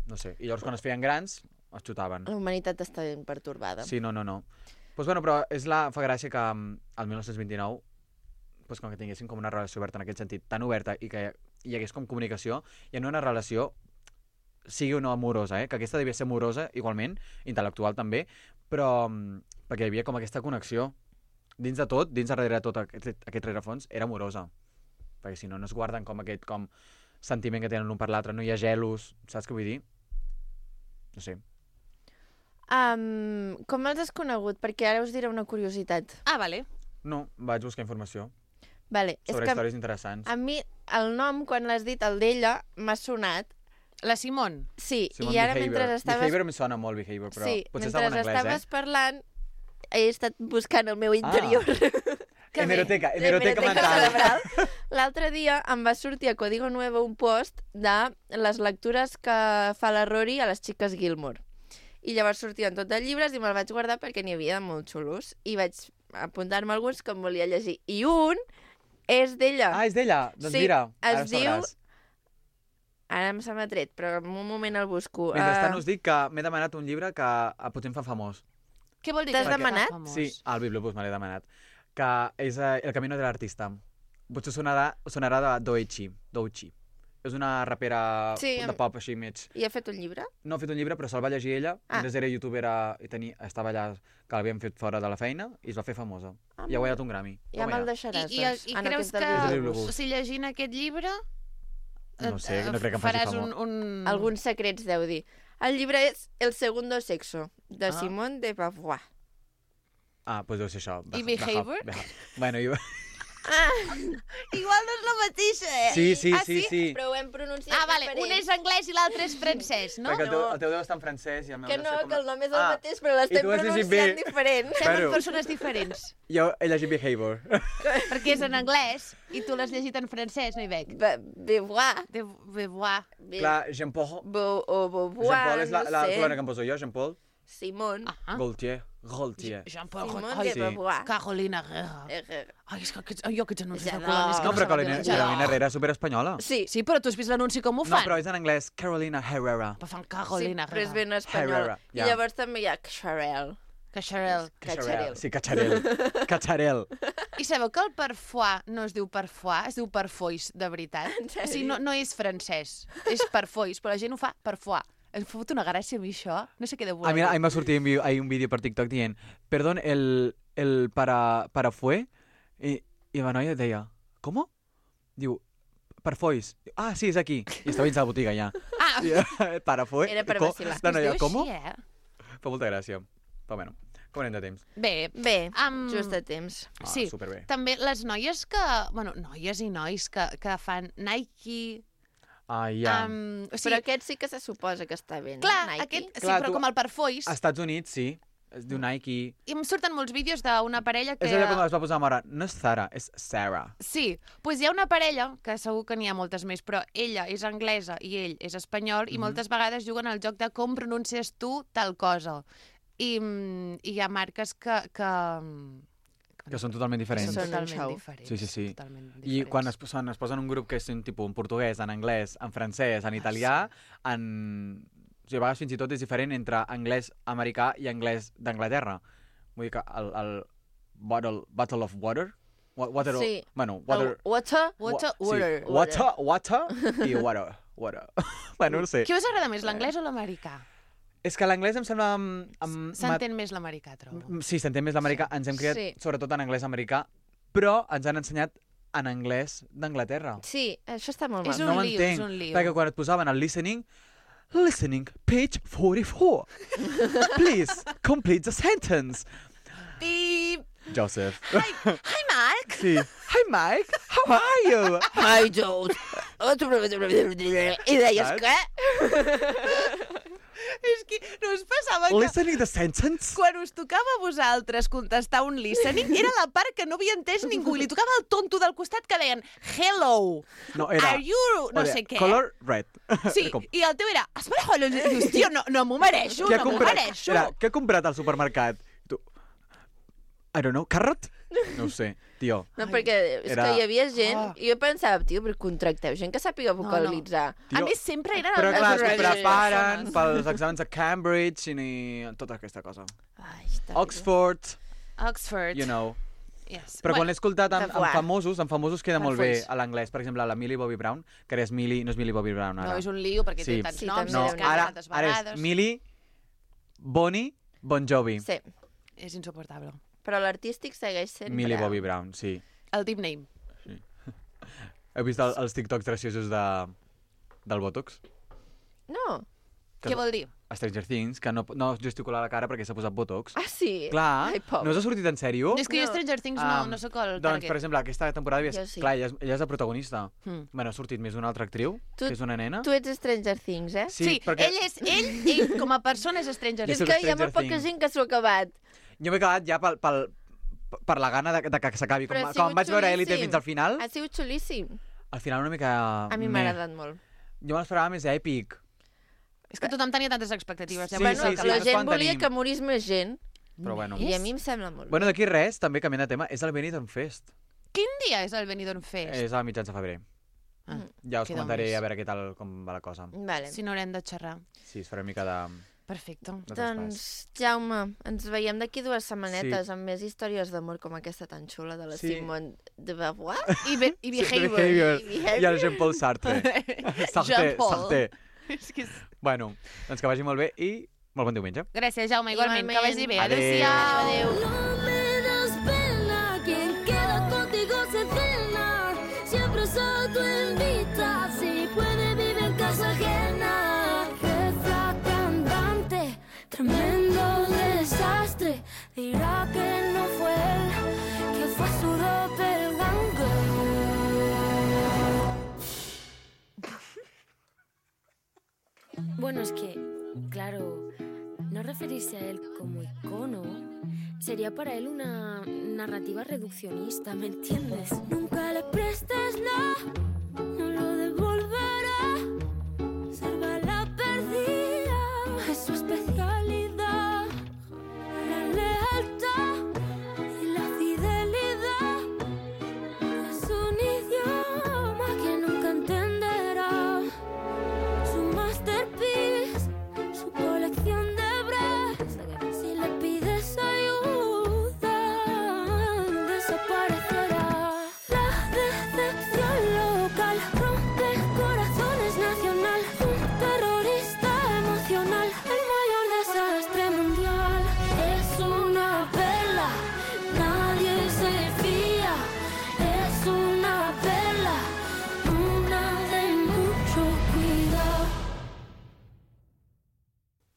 No sé, i llavors quan es feien grans, es xutaven. La humanitat està ben pertorbada. Sí, no. Pues bueno, però fa gràcia que el 1929 pues com que tinguessin com una relació oberta en aquest sentit, tan oberta, i que hi hagués com comunicació, i en una relació sigui o no amorosa, que aquesta devia ser amorosa igualment, intel·lectual també, però perquè hi havia com aquesta connexió. Dins de tot, dins darrere de tot aquest rerefons, era amorosa. Perquè si no, no es guarden com aquest sentiment que tenen l'un per l'altre, no hi ha gelos, saps què vull dir? No sé. Com els has conegut? Perquè ara us diré una curiositat. Ah, vale. No, vaig buscar informació Vale, sobre és que històries interessants. a mi el nom, quan l'has dit, el d'ella, m'ha sonat. La Simone. Sí, Simon i ara Behavior. mentre estaves... Behavior em sona molt, Behavior, però Sí, potser mentre estava en anglès, estaves parlant, he estat buscant el meu interior. Que bé. Hemeroteca L'hemeroteca mental. cerebral. L'altre dia em va sortir a Código Nuevo un post de les lectures que fa la Rory a les xiques Gilmore. I llavors sortien tot de llibres i me'l vaig guardar perquè n'hi havia de molt xulos. I vaig apuntar-me alguns que em volia llegir. I un és d'ella. Ah, és d'ella? Doncs Sí, mira, ara es diu- sabràs. Ara se m'ha tret, però en un moment el busco. Mentrestant us dic que m'he demanat un llibre que potser em fa famós. Què vol dir? T'has que demanat? fa famós? Sí, al Bibliobús me l'he demanat. Que és El camino de l'artista. Potser sonarà de Doechii. És una rapera Sí, de pop així mig. I ha fet un llibre? No ha fet un llibre, però se'l va llegir ella. Mentre era youtuber i estava allà, que l'havien fet fora de la feina, i es va fer famosa. I ha guanyat un Grammy. Ja me'l deixaràs, I doncs. creus aquest del que, Bibliobús. si llegint aquest llibre... No sé, no crec que em faci faràs famós. un... Alguns secrets deu dir. El llibre és El segundo sexo, de Ah. Simone de Beauvoir. Ah, doncs deu ser això. I Behavior? Bueno, Igual no és la mateixa, eh? Sí, Ah, sí. Però ho hem pronunciat Ah, vale, diferent. un és anglès i l'altre és francès, no? Perquè el teu deu estar en francès i el meu Que deu no, ser com... que el nom és el mateix, però l'estem i tu has llegit pronunciant bé. diferent. Estem Bueno. en persones diferents. Jo he llegit Behavior. Perquè és en anglès i tu l'has llegit en francès, no hi veig. Beauvoir. De Beauvoir. Clar, Jean-Paul... Beauvoir, Jean-Paul és la no sé. colònia que em poso jo, Jean-Paul. Simone. Ah. Gaultier. Jean-Paul Simone Ai, de Beauvoir. Carolina Herrera. Ai, és que jo aquests anuncis Ja de no. colònies que No, però saben Carolina Herrera és superespanyola. Sí, Sí, però tu has vist l'anunci com ho No, fan? però és en anglès. Carolina Herrera. Però fan sí, Carolina però és Herrera. ben espanyol. Herrera, I ja. llavors també hi ha Xarel. Cacharel. Cacharel. Sí, cacharel. Cacharel. I sabeu que el parfois no es diu parfois, es diu parfois, de veritat? O sigui, no és francès, és parfois, però la gent ho fa parfois. Em fot una gràcia a mi això. No sé què deu voler. A mi m'ha sortit un vídeo per TikTok dient perdón, el para fue i la noia deia ¿cómo? Diu, parfois. Ah, sí, és aquí. I estava dins de la botiga ja. Para fue. Era per vacilar. La noia, Es diu ¿cómo? així, Fa molta gràcia. Però bueno, com anem de temps? Bé, Just a temps. sí. Superbé. També les noies que... Bueno, noies i nois que fan Nike... Ah, ja. o Però sigui, aquest sí que se suposa que està bé, no? clar, Nike? aquest, sí, Clar, però tu- com el parfois. Als Estats Units, sí. Es diu Nike. I em surten molts vídeos d'una parella que... És allò com es va posar a mare. No és Zara, és Sarah. Sí, doncs hi ha una parella, que segur que n'hi ha moltes més, però ella és anglesa i ell és espanyol, i moltes vegades juguen al joc de com pronuncies tu tal cosa. I hi ha marques Que són totalment diferents. Són un totalment show. diferents. Sí, sí, sí. Totalment I diferents. quan es posen un grup que és un tipus en portuguès, en anglès, en francès, en italià, en... O sigui, a vegades fins i tot és diferent entre anglès americà i anglès d'Anglaterra. Vull dir que el Bottle of Water... Water Sí. Bueno, water... Water? Water, Sí, water. water i water. Bueno, no sé. Què us agrada més, l'anglès o l'americà? És que l'anglès em sembla... S'entén més l'americà, trobo. Sí, s'entén més l'americà. Ens hem criat Sí. sobretot en anglès americà, però ens han ensenyat en anglès d'Anglaterra. Sí, això està molt És mal. un No lío, m'entenc, és un lío. perquè quan et posaven el listening, page 44. Please, complete the sentence. Pip! Joseph. Hi, Marc! Sí. Hi, Mike. How are you? Ai, Jules. I deies Saps? què? És que no us passava que Listening the sentence? quan us tocava a vosaltres contestar un listening, era la part que no havia entès ningú, i li tocava el tonto del costat que deien hello, No, era... are you... no sé què. Color red. Sí, Era com, i el teu era... Espera, dius, tio, no m'ho mereixo, què ha no m'ho comprat? mereixo. Era, què ha comprat al supermercat? Tu... I don't know, carrot? No ho sé, tio. No, perquè és Era- que hi havia gent... Ah. I jo pensava, tio, però contracteu gent que sàpiga vocalitzar. A més, sempre eren... Però clar, es les preparen persones. pels exàmens de Cambridge i tota aquesta cosa. Ai, està Oxford, Oxford. you know. Yes. Però quan l'he escoltat en Parfois. famosos queda molt bé Parfois. a l'anglès. Per exemple, la Millie Bobby Brown, que ara és Millie, no és Millie Bobby Brown ara. No, és un lío perquè Sí. té tants Sí, noms, també No, es Déu-n'hi-do. cansa ara, tantes ara és vegades. Millie Bonnie Bon Jovi. Sí, És insuportable. però l'artístic segueix sent Millie Brown. Bobby Brown, sí. El deep name. Heu vist els TikToks graciosos del Botox? No. Què vol dir? A Stranger Things, que no gesticula la cara perquè s'ha posat Botox. Ah, sí? Clar, Ai, pobre. no us ha sortit en sèrio? És que jo No. Stranger Things no soc el Doncs, target. per exemple, aquesta temporada... Jo sí. Clar, ella és la protagonista. Mm. Bueno, ha sortit més d'una altra actriu, Tu- que és una nena. Tu ets Stranger Things, eh? Sí, ell com a persona és Stranger Jo És soc que hi ha Stranger molt poca Things. gent que s'ho ha acabat. Jo m'he acabat ja per la gana de que s'acabi. Però ha Com sigut vaig veure xulíssim. Elite fins al final, Ha sigut xulíssim. al final una mica... A mi m'ha agradat molt. Jo me l'esperava més èpic. És que tothom tenia tantes expectatives. Sí, Bueno, sí, que sí, la és gent quan volia tenim. que morís més gent. Però bueno. I a mi em sembla molt. Bueno, d'aquí res, també canviant de tema, és el Benidorm Fest. Quin dia és el Benidorm Fest? És a mitjans de febrer. Ah, Ja us queda un comentaré mes. a veure què tal, com va la cosa. Vale. Si no haurem de xerrar. Sí, es farà una mica de Perfecte. traspàs. Doncs, Jaume, ens veiem d'aquí 2 setmanetes amb més històries d'amor com aquesta tan xula de la Sí. Simone de Beauvoir. I Behavior. Behavior. I el Jean-Paul Sartre. Sartre, Jean-Paul. Sartre. És que és... Bueno, doncs que vagi molt bé i molt bon diumenge. Gràcies, Jaume, igualment. Que Igualment. vagi bé. Adéu. Adéu-siau. Adéu. No me das pena, quien queda contigo se cena. Siempre se autoinvita, si puede vive en casa ajena. Jefa cantante, tremendo desastre. Dirá que no fue él, que fue su doppelganger. Bueno, es que, claro, no referirse a él como icono sería para él una narrativa reduccionista, ¿me entiendes? Nunca le prestes nada, no lo devolverá. Salva la perdida, es su especialidad. La lealtad y la fidelidad es un idioma que nunca entenderá. Su masterpiece, su colección de bras. Si le pides a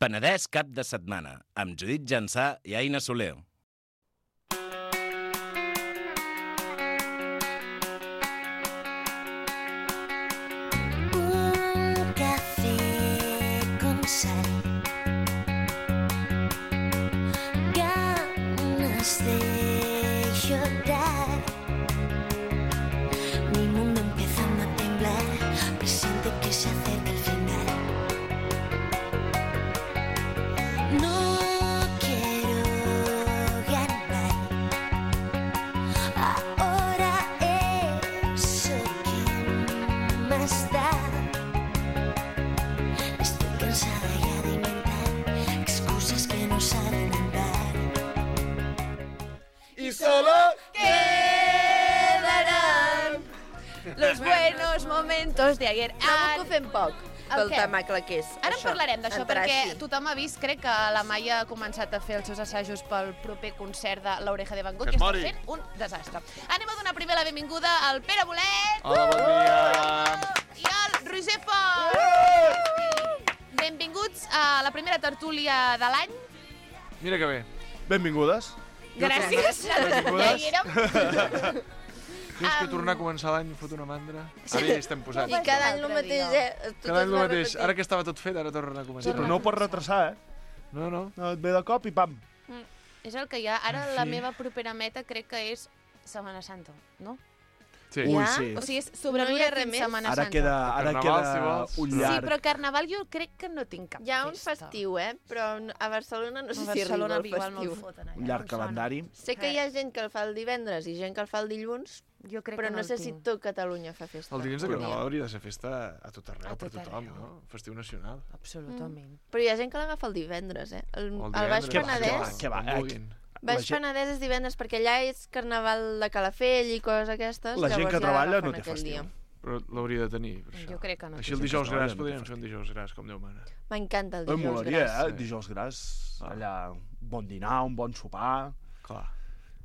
Penedès cap de setmana, amb Judit Jansà i Aina Soler. Un café con sal, ganas de llorar, mi mundo empezando a temblar, presiente que se acerca el final. No quiero ganar, ahora eso que más da. Estoy cansada ya de inventar excusas que no saben andar. I solo Quedarán Los buenos momentos de ayer. Trobo que ho fem poc, pel què? temacle que és. Ara en això, parlarem d'això, entrar perquè així. tothom ha vist, crec que la Maia ha començat a fer els seus assajos pel proper concert de l'Oreja de Van Gogh Que i es està mori. fent un desastre. Anem a donar primer la benvinguda al Pere Bolet Hola, bon dia! i al Roger Font. Benvinguts a la primera tertúlia de l'any. Mira que bé. Benvingudes. Gràcies. Benvingudes. Ja hi érem. Tens que tornar a començar l'any fot una mandra. Ara ja hi estem posats. I cada any el mateix, Cada any el mateix. Ara que estava tot fet, ara torna a Sí, començar. però no ho pots retrasar, eh? No, no. No, et ve de cop i pam. És el que hi ha. Ara la meva propera meta crec que és Setmana Santa, no? Sí. Ui, Ja? sí. O sigui, és No hi sobreviure ha res fins més? Setmana Ara Santa. queda Carnaval, si vols. un Sí, llarg. però Carnaval jo crec que no tinc cap Hi ha un festa. festiu, però a Barcelona no sé A si arriba Barcelona el igual me'l festiu. foten allà. Un llarg em sona. calendari. Sé que hi ha gent que el fa el divendres i gent que el fa el dilluns, Jo crec però que no el sé si tinc. tot Catalunya fa festa. El dilluns de un dia. Carnaval hauria de ser festa a tot arreu, A per tot tothom, arreu. no? Festiu nacional. Absolutament. Però hi ha gent que l'agafa el divendres, El O el Baix divendres, Penedès... Què va? com vulguin. Baix La gent- Penedès és divendres perquè allà és carnaval de Calafell i coses aquestes. La gent llavors que ja treballa l'agafen no té aquell festiu. dia. Però l'hauria de tenir, per això. Jo crec que no. Així el Sí, dijous que gras treballa, podríem no té fer un dijous gras, com Déu mana. M'encanta el Em dijous molaria, gras. eh? Dijous gras, allà, un bon dinar, un bon sopar, Clar.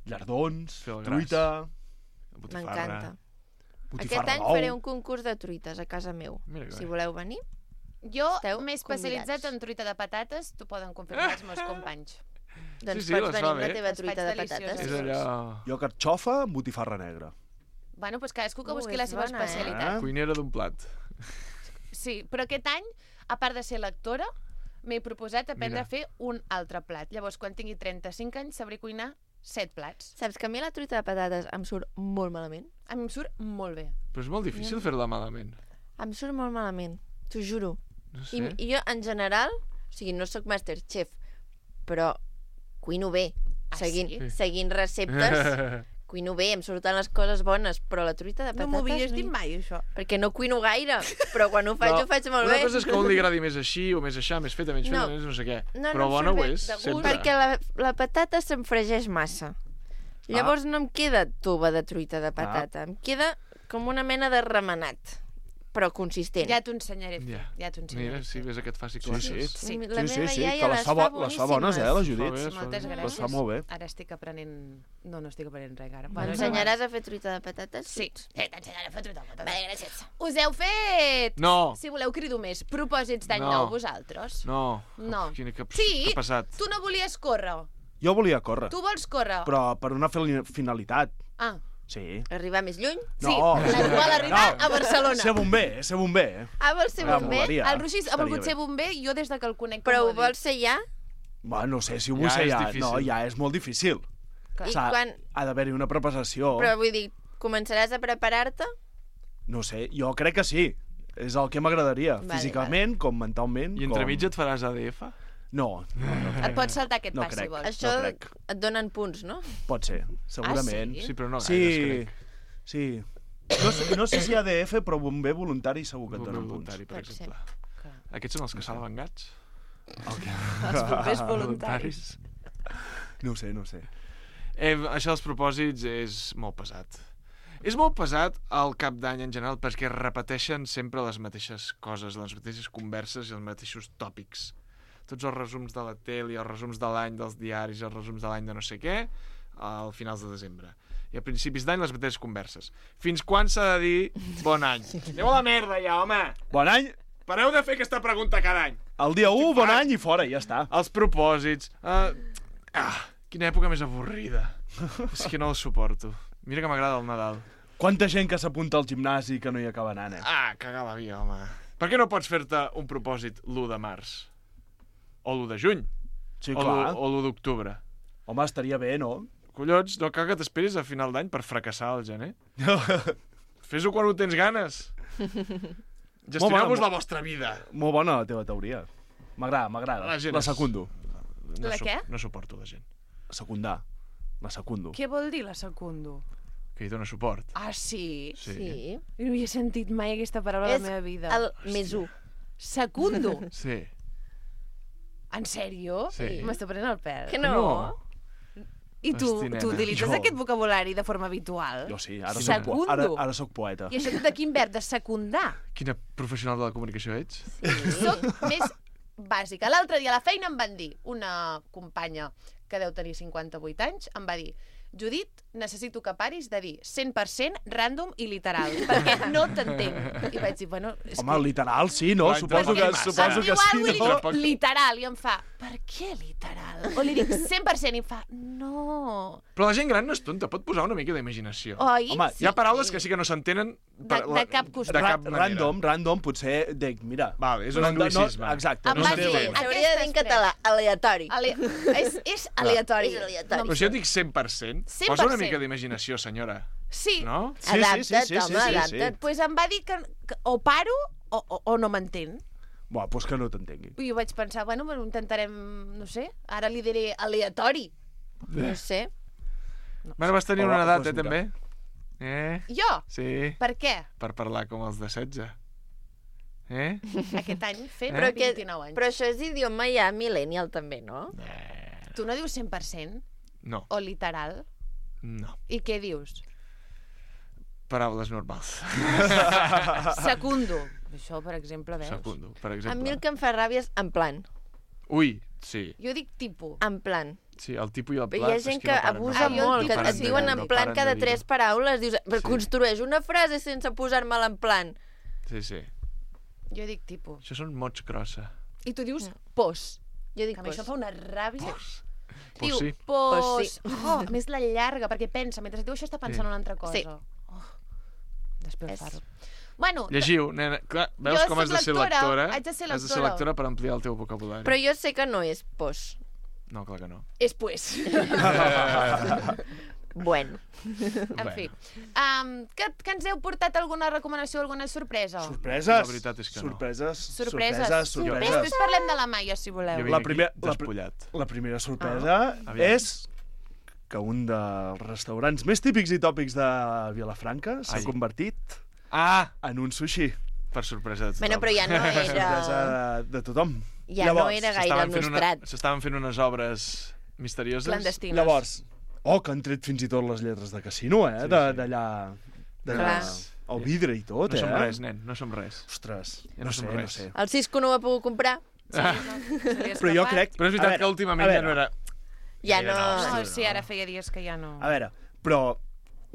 llardons, Fer el gras. truita, M'encanta. botifarra Aquest any d'ou. faré un concurs de truites a casa meu. Mira que Si bé. voleu venir. Jo Esteu m'he especialitzat convidats. en truita de patates, t'ho poden confirmar els meus companys. Doncs sí, pots les venir fa amb la bé. teva Les truita faig de delicioses. patates. És allò... Jo carxofa amb botifarra negra. Bueno, doncs cadascú que Ui, busqui la és seva bona, especialitat. Cuinera d'un plat. Sí, però aquest any, a part de ser lectora, m'he proposat aprendre Mira. a fer un altre plat. Llavors, quan tingui 35 anys, sabré cuinar 7 plats. Saps que a mi la truita de patates em surt molt malament? A mi em surt molt bé. Però és molt difícil fer-la malament. Em surt molt malament, t'ho juro. No sé. I jo, en general, o sigui, no sóc Masterchef, però cuino bé. Ah, Seguint, sí? seguint receptes, cuino bé, em surten les coses bones, però la truita de No patates... m'ho havies dit mai, això. Perquè no cuino gaire, però quan ho faig, No, ho faig molt una bé. cosa és que a un li agradi més així o més aixà, més feta, menys feta, No. més no sé què. No, Però no em bona surt ho bé, és, de gust, sempre. Perquè la patata se'm fregeix massa. Llavors no em queda tuba de truita de patata, em queda com una mena de remenat, però consistent. Ja t'ho ensenyaré a fer. Ja. Ja t'ho ensenyaré Mira, a si fer. ves aquest faci Sí, classes. Sí. La Sí, meva sí, iaia que les fa, les fa bones, la Fa Judit. bé, Moltes fa bé. gràcies. Les fa molt bé. Ara estic aprenent... No estic aprenent res, ara. M'ensenyaràs a fer truita de patates? Sí, t'ensenyaré a fer truita de patates. Vale, gràcies. Us heu fet... No. Si voleu, crido més. Propòsits d'any No. nou, vosaltres? No. No. Quina, que, Sí, que passat. tu no volies córrer. Jo volia córrer, Tu vols córrer. però per una finalitat. Ah, Sí. Arribar més lluny? sí. No. Vol arribar No. a Barcelona. Ser bomber, ser bomber. Ah, vols ser Ah, bomber? molaria. El Roger ha Estaria volgut bé. ser bomber, jo des de que el conec Però com ho vols ser ja? Bueno, no sé si ho vull Ja ser és ja. difícil. No, ja és molt difícil. I S'ha- quan... Ha d'haver-hi una preparació. Però vull dir, començaràs a preparar-te? No sé, jo crec que sí. És el que m'agradaria, Vale, físicament, com mentalment. I entremig et faràs ADF? No, Et pots saltar aquest No pas, si crec. vols. Això crec. et donen punts, no? pot ser, segurament. sí? Sí, però no gaires, Sí, crec. sí. No sé si ADF, però bomber voluntari segur que et Bomber donen punts. voluntari, per Pot ser. exemple. Clar. Aquests són els que salven gats? Els bombers voluntaris. No ho sé, no ho sé. Això dels propòsits és molt pesat. És molt pesat al cap d'any en general perquè es repeteixen sempre les mateixes coses, les mateixes converses i els mateixos tòpics. Tots els resums de la tele, els resums de l'any dels diaris, els resums de l'any de no sé què, al finals de desembre. I a principis d'any les mateixes converses. Fins quan s'ha de dir bon any? Aneu a la merda ja, home! Bon any! Pareu de fer aquesta pregunta cada any. El dia 1, bon any i fora, ja està. Els propòsits... Quina època més avorrida. És que no el suporto. Mira que m'agrada el Nadal. Quanta gent que s'apunta al gimnasi que no hi acaba anant, Cagar la vida, home. Per què no pots fer-te un propòsit l'1 de març? O l'1 de juny? Sí, o clar. l'1 d'octubre? Home, estaria bé, no? Collons, no cal que t'esperis a final d'any per fracassar al gener. Fes-ho quan ho tens ganes. Gestioneu-vos la vostra vida. Molt bona la teva teoria. M'agrada. La secundo. La què? No suporto la gent. Secundar. La secundo. Què vol dir la secundo? Que hi dona suport. Ah, sí? Sí. No havia sentit mai aquesta paraula a la meva vida. El més 1. Secundo? Sí. En sèrio? Sí. M'està prenent el pèl. Que no? I tu Hosti, nena. utilitzes Jo. aquest vocabulari de forma habitual? Jo sí, ara Secundo. ara soc poeta. I això de quin verb? De secundar? Quina professional de la comunicació ets? Soc més bàsica. L'altre dia a la feina em van dir, una companya que deu tenir 58 anys, em va dir: Judit, necessito que paris de dir 100% random i literal, perquè no t'entenc. I vaig dir, bueno... Home, literal, sí, no? Clar, Suposo que em sí, diu alguna no? cosa literal, i em fa, per què literal? O li dic 100% i em fa, no... Però la gent gran no és tonta, pot posar una mica d'imaginació. Oi? Home, Hi ha paraules que sí que no s'entenen De cap costat. de cap manera. Random, potser dic, mira... Vale, és un anglicisme. Exacte. Em No va sé. dir, S'hauria de dir en català, aleatori. És aleatori. És aleatori. Però si jo dic 100%, 100%. posa una mica d'imaginació, senyora. Sí. No? Sí, Adapta't, home, sí. adapta't. Pues em va dir que o paro o no m'entén. Buah, doncs que no t'entengui. I jo vaig pensar, bueno, ho intentarem, no sé, ara li diré aleatori. No sé. Bueno, vas tenir Hola, una edat, pues mira. també? Jo? Sí, Per què? per parlar com els de 16. Aquest any fent Però, 29 anys. però això és idioma ja millennial també, no? Tu no dius 100% No, o literal? no. I què dius? Paraules normals. Secundo. Això, per exemple, veus? Secundo, per A mi exemple. el que em fa ràbia és en plan. Ui, sí. Jo dic tipus. En plan. Sí, el tipus i el Hi pla... ha gent que abusa jo el molt, tipus que et sí. diuen en plan cada 3 paraules. Dius, però Sí. construeix una frase sense posar-me-la en plan. Sí, sí. Jo dic tipus. Això són mots grossa. I tu dius pos. Jo dic Que a mi pos. això em fa una ràbia. Pues Diu, sí. pos. Pos sí. Oh, a més la llarga, perquè pensa, mentre diu això està pensant Sí. en una altra cosa. Sí. Oh, després És- farho. Bueno, Llegiu, nena. Clar, veus Jo com soc has de ser lectora, lectora? haig de ser Has de ser lectora. lectora per ampliar el teu vocabulari. Però jo sé que no és pos. No, clar que no. és pues. Bueno. En fi. Que ens heu portat alguna recomanació, alguna sorpresa? Sorpreses? La veritat és que no. Sorpreses. Sorpreses. Sorpreses. Després parlem de la Maia, si Jo voleu. vinc La aquí primer- la- despullat. La primera sorpresa Aviam. és que un dels restaurants més típics i tòpics de Vilafranca s'ha Ai. convertit Ah! en un sushi. Per sorpresa de tothom. Bueno, però ja no Sorpresa era... de tothom. Ja no era gaire el nostrat. S'estaven fent unes obres misterioses. Clandestines. Llavors, que han tret fins i tot les lletres de casino, Sí, sí. d'allà... Clar. El vidre i tot, No som eh? res, nen, no som res. Ostres, Ja no no som sé, res. no sé. El Cisco no ho ha pogut comprar. Però jo crec... Però és veritat que últimament ja no era... Ja Gaire no... No, sí, ara feia dies que ja no... A veure, però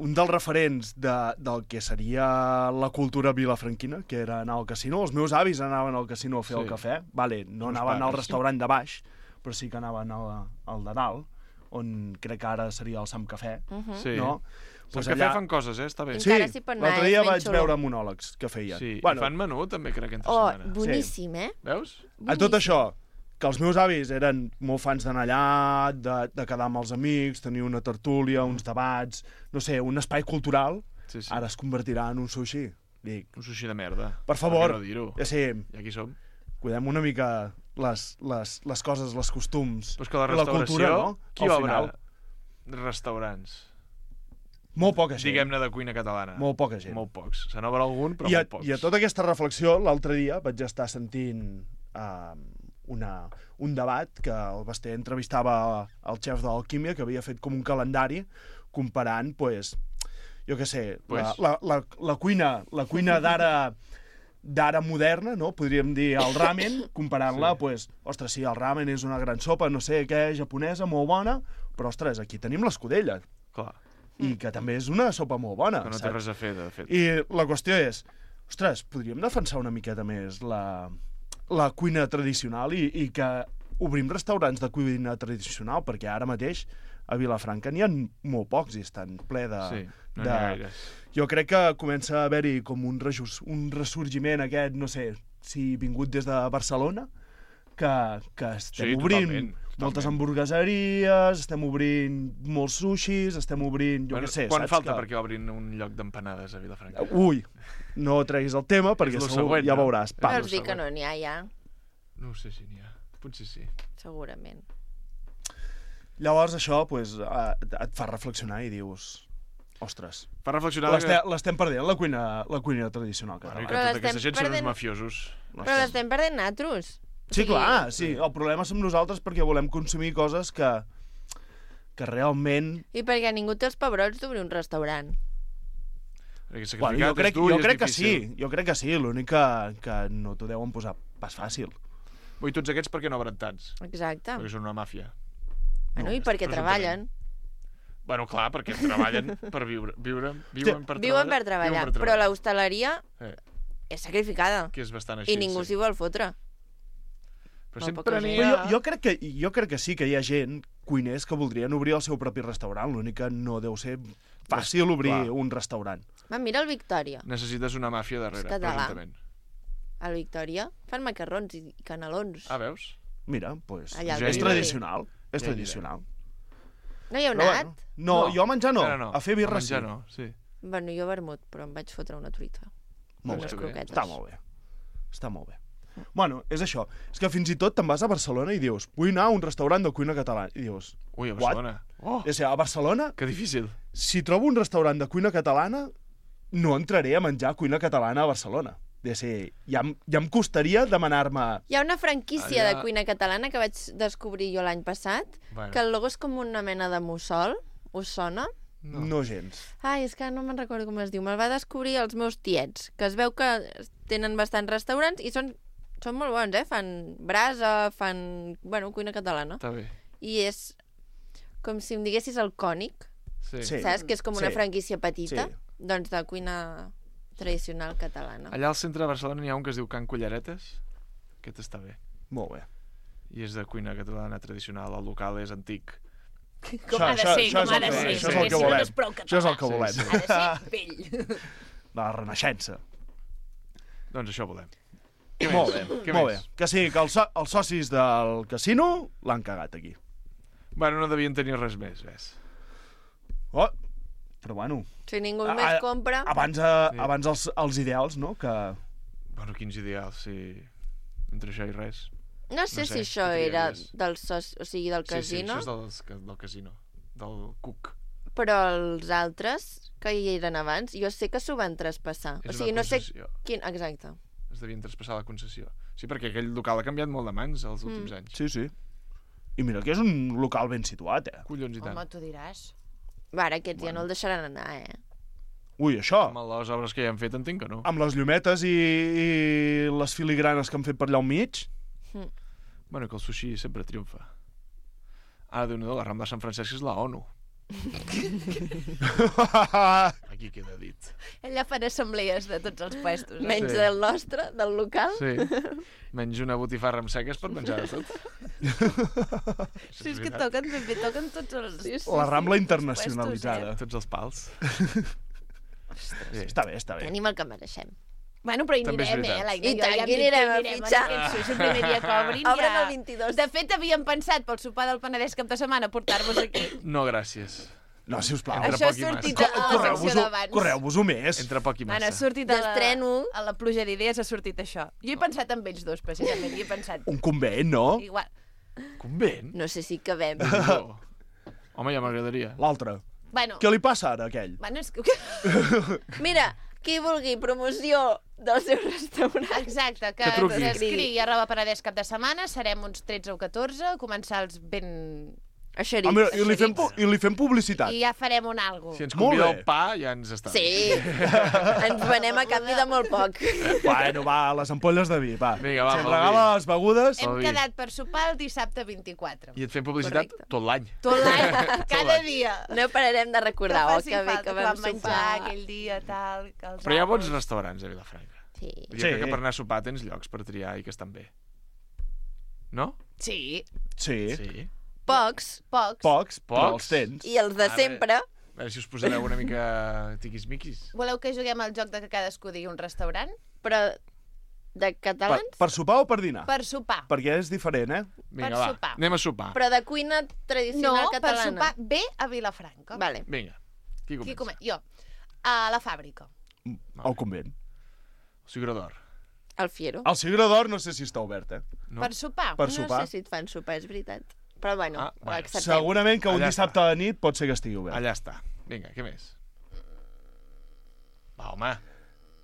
un dels referents del que seria la cultura vilafranquina, que era anar al casino, els meus avis anaven al casino a fer Sí. el cafè, vale, no Els anaven al pares. restaurant de baix, però sí que anaven al de dalt, on crec que ara seria el Sam Cafè, Sí. no? Pues Pues que allà- fan coses, està bé. Sí. Encara s'hi pot anar, l'altre és dia ben vaig xulo. veure monòlegs que feien. Sí, Bueno, i fan menú també, crec, entre Oh, setmana. boníssim, eh? Veus? a tot això, que els meus avis eren molt fans d'anar allà, de quedar amb els amics, tenir una tertúlia, uns debats, no sé, un espai cultural, Sí, sí. ara es convertirà en un sushi. Dic, Un sushi de merda. per favor, Per què no dir-ho? ja sé, I aquí som. cuidem una mica les coses, els costums Però és que la i la restauració... cultura, no? Qui Al obre final, restaurants? molt poca gent. Diguem-ne de cuina catalana. Molt poca gent. Molt pocs. Se n'obre algun, però I molt pocs. I a tota aquesta reflexió, l'altre dia vaig estar sentint un debat que el Basté entrevistava el xef d'Alquímia, que havia fet com un calendari comparant, pues, jo què sé, la cuina d'ara moderna, no? Podríem dir el ramen, comparant-la, Sí. pues, ostres, sí, el ramen és una gran sopa, no sé què, japonesa, molt bona, però, ostres, aquí tenim l'escudella, Clar, i que també és una sopa molt bona, que no té saps? res a fer, de fet. I la qüestió és, ostres, podríem defensar una miqueta més la cuina tradicional i que obrim restaurants de cuina tradicional, perquè ara mateix a Vilafranca n'hi ha molt pocs i estan ple de... Sí, no n'hi ha gaires. Jo crec que comença a haver-hi com un ressorgiment aquest, no sé, si vingut des de Barcelona, que estem obrint moltes hamburgueseries, estem obrint molts sushis, estem obrint... Jo què sé, quan saps? falta perquè obrin un lloc d'empanades a Vilafranca? Ui, no treguis el tema perquè És lo segur següent, ja no? veuràs. Vols dir que no n'hi ha, ja? No ho sé si n'hi ha. Potser sí. Segurament. Llavors això pues, et fa reflexionar i dius... Ostres, Fa reflexionar l'estem perdent, la cuina tradicional Bueno, i catalana. que tota aquesta gent són uns mafiosos. Però l'estem perdent natros. Sí, clar, sí. El problema som nosaltres perquè volem consumir coses que realment... I perquè ningú té els pebrots d'obrir un restaurant. Bueno, jo crec que sí. L'únic que no t'ho deuen posar pas fàcil. I tots aquests per què no obren tants? Exacte. Perquè són una màfia. Bueno, i perquè treballen. Bueno, clar, perquè treballen per viure. Viuen per treballar. Però l'hostaleria és sacrificada. Que és bastant així. I ningú s'hi vol fotre. Però sempre n'hi ha... Jo crec que sí que hi ha gent, cuiners, que voldrien obrir el seu propi restaurant. L'únic que no deu ser fàcil obrir un restaurant. Va, mira el Victòria. Necessites una màfia darrere, presumptament. Al Victòria fan macarrons i canelons. Ah, veus? Mira, doncs Allà és tradicional. És tradicional. No hi heu anat? No, jo a menjar no. No. A fer birra sí. No, sí. Bueno, jo vermut, però em vaig fotre una truita. Molt unes bé. croquetes. Està molt bé. Bueno, és això. És que fins i tot te'n vas a Barcelona i dius vull anar a un restaurant de cuina catalana. I dius... Ui, a Barcelona. Oh. És a Barcelona... Que difícil. Si trobo un restaurant de cuina catalana, no entraré a menjar cuina catalana a Barcelona. Ja em costaria demanar-me... Hi ha una franquícia de cuina catalana que vaig descobrir jo l'any passat, que el logo és com una mena de mussol. Us sona? No gens. Ai, és que no me'n recordo com es diu. Me'l va descobrir els meus tiets, que es veu que tenen bastants restaurants i són molt bons, Fan brasa, fan... Bueno, cuina catalana. Està bé. I és com si em diguessis el Cònic. Sí. Saps? Que és com una franquícia petita, doncs de cuina tradicional catalana. Allà al centre de Barcelona n'hi ha un que es diu Can Culleretes. Aquest està bé. Molt bé. I és de cuina catalana tradicional. El local és antic. Com ha de ser, com ha de ser. Això és el que volem. Això és el que volem. Ha de ser vell. La Renaixença. Doncs això volem. Molt bé. Que sí, que els socis del casino l'han cagat aquí. Bueno, no devien tenir res més, ves. Oh, però bueno... Si ningú més compra... Abans els ideals, no? Que... Bueno, quins ideals, sí. Entre això i res. No sé si això era del casino. Sí, això és del casino. Del Cook. Però els altres, que hi eren abans, jo sé que s'ho van traspassar. És no sé quin... Exacte. Es devien traspassar la concessió. Sí, perquè aquell local ha canviat molt de mans els últims anys. Sí. I mira que és un local ben situat, Collons i tant. Home, tu diràs. Va, ara aquests ja no el deixaran anar, Ui, això... Amb les obres que ja han fet entenc que no. Amb les llumetes i les filigranes que han fet per allà al mig... Bueno, que el sushi sempre triomfa. Ara, Déu-n'hi-do, la Rambla de Sant Francesc és la ONU. Aquí queda dit. Ella farà assemblees de tots els puestos. Menys del nostre, del local. Sí. Menys una botifarra amb seques per menjar de tot. Sí, és que toquen tots els... La Rambla internacionalitzada. Tots els pals. Està bé. Tenim el que mereixem. Bueno, però hi anirem, I tant, hi anirem a fitxar. El primer dia que obrin Obren el 22. De fet, havíem pensat pel sopar del Penedès cap de setmana portar-vos aquí. No, gràcies. No, sisplau. Això ha sortit a la secció d'abans. Correu-vos-ho més. Entre poc i massa. Ha sortit a la pluja d'idees, ha sortit això. Jo he pensat en ells dos, precisament. Hi he pensat... Un convent, no? Igual. Convent? No sé si cabem. Home, ja m'agradaria. L'altre. Bueno. Què li passa ara, a aquell? Bueno, és que... Mira, qui vulgui promoció del seu restaurant. Exacte, que escrigui @penedès cap de setmana, serem uns 13 o 14, comensals ben... Eixerits. Mira, i li fem publicitat. I ja farem un algo. Si ens convida el pa, ja ens està. Sí, ens venem a canvi de molt poc. Bueno, va, les ampolles de vi, va. Vinga, va, si ens regala les begudes... Hem quedat per sopar el dissabte 24. I et fem publicitat tot l'any. Tot l'any, cada dia. No pararem de recordar, que bé que vam sopar. Menjar aquell dia, tal... Però hi ha bons restaurants a Vilafranca. Sí. Jo crec que per anar a sopar tens llocs per triar i que estan bé. No? Sí. Sí. Sí. Pocs. Pocs, però els Pocs? tens. I els de sempre. A veure si us posareu una mica tiquis-miquis. Voleu que juguem al joc de que cadascú digui un restaurant? Però de catalans? Per sopar o per dinar? Per sopar. Perquè és diferent, eh? Vinga, Per va, sopar. anem a sopar. Però de cuina tradicional No, per catalana. sopar bé a Vilafranca. Vale. Vinga, qui Qui comença? Jo. A la fàbrica. Al convent. El Cigró d'Or. El Fiero. El Cigró d'Or no sé si està obert, eh? No? Per sopar. Per No sopar. sé si et fan sopar, és veritat. Però bueno, Ah, bueno. acceptem. Segurament que un Allà dissabte a la nit pot ser que estigui obert. Allà està. Vinga, què més? Va, home.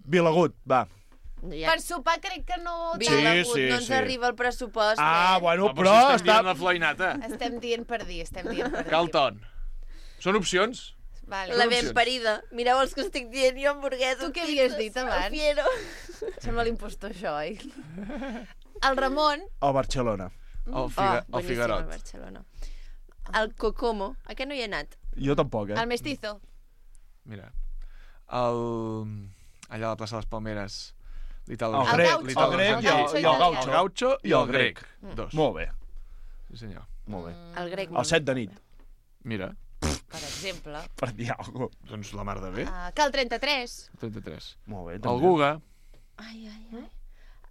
Vilagut, va. Ja. Per sopar crec que no... Sí, Vilagut, sí, no ens sí. arriba el pressupost. Ah, bueno, Va, però si estem està... dient la floinata. Estem dient per dir, estem dient per dir. Calton. Són opcions? Vale. La ben parida. Mireu els que estic dient jo, hamburgueses. Tu què havies dit abans? El Fiero. Sembla l'impostor, això, oi? El Ramon... A Barcelona. El, boníssim, el Figarot. el Barcelona. El Cocomo. A què no hi he anat? Jo tampoc, eh? El Mestizo. Mira. Allà a la plaça de les Palmeres. L'Ital El grec, el grec i el gaucho. El gaucho i el grec. Dos. Molt bé, Sí, senyor. molt bé. El grec. El 7 de nit, Mira, Per exemple. per dir alguna cosa. doncs la mar de bé. Cal 33. 33. Molt bé, El també. Guga. Ai.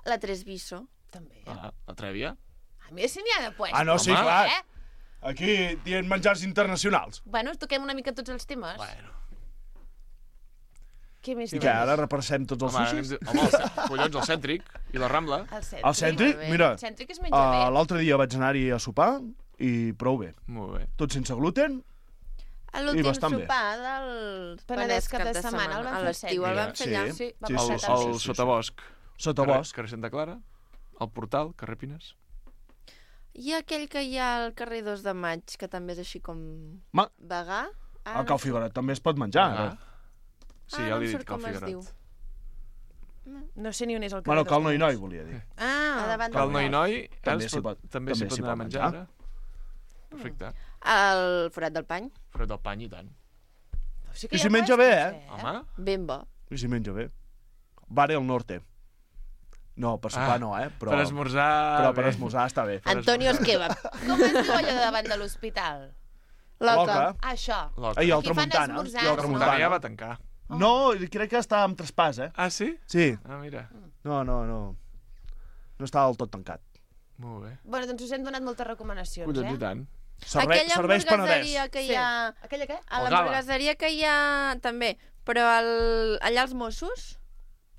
La Tresviso. També. La Trèvia. A més, si n'hi ha de puestos. Ah, no, sí, Home. clar. Aquí dient menjars internacionals. Bueno, toquem una mica tots els temes. Bueno. Què més I que ara repassem tots els Home, sushis? collons, el Cèntric i la Rambla. El Cèntric. El Cèntric, Molt bé. mira, El Cèntric es menja bé. l'altre dia vaig anar-hi a sopar i prou bé. Molt bé. Tot sense gluten. A l'últim bastant bé. sopar del Penedès cap de setmana, el vam A fer l'estiu el set. vam fer allà. Sí. Sí, va Sí, passar sí, tant. El Sotabosc. Sotabosc. Carrer Santa Clara. El Portal, carrer Pines. I aquell que hi ha al carrer 2 de Maig, que també és així com... Ma- Vegà? El Cau Figueroa també es pot menjar. Ah. Sí, ja no li em he surt dit Cal com es diu. Figueroat. No sé ni on és el carrer. Bueno, Cal dels Noi, Conills. volia dir. A davant Cal del Noi Golf. Noi. També ara s'hi pot- també s'hi pot anar a menjar ara. Perfecte. Al Forat del Pany. Fred del Pany i tant. Sí que I hi si ha menja puestos, bé, Home, Ben bo. I si menja bé. Bare al norte. No, per sopar no, però... per esmorzar... Però per bé. esmorzar està bé. Antonio Esqueva. Com es diu allò de davant de l'hospital? Loca. Això. Loca. Ai, el Aquí fan Tramuntana. esmorzars, I el no? Tramuntana ja Tramuntana. va tancar. No, crec que està amb traspàs, eh? Ah, sí? Sí. Ah, mira. No. No està del tot tancat. Molt bé. Bueno, doncs us hem donat moltes recomanacions, Collons, i tant. Aquella Serveis Penedès. hamburgueseria que hi ha... Aquella què? A El Gala. l'hamburgueseria que hi ha... També. Però allà els Mossos...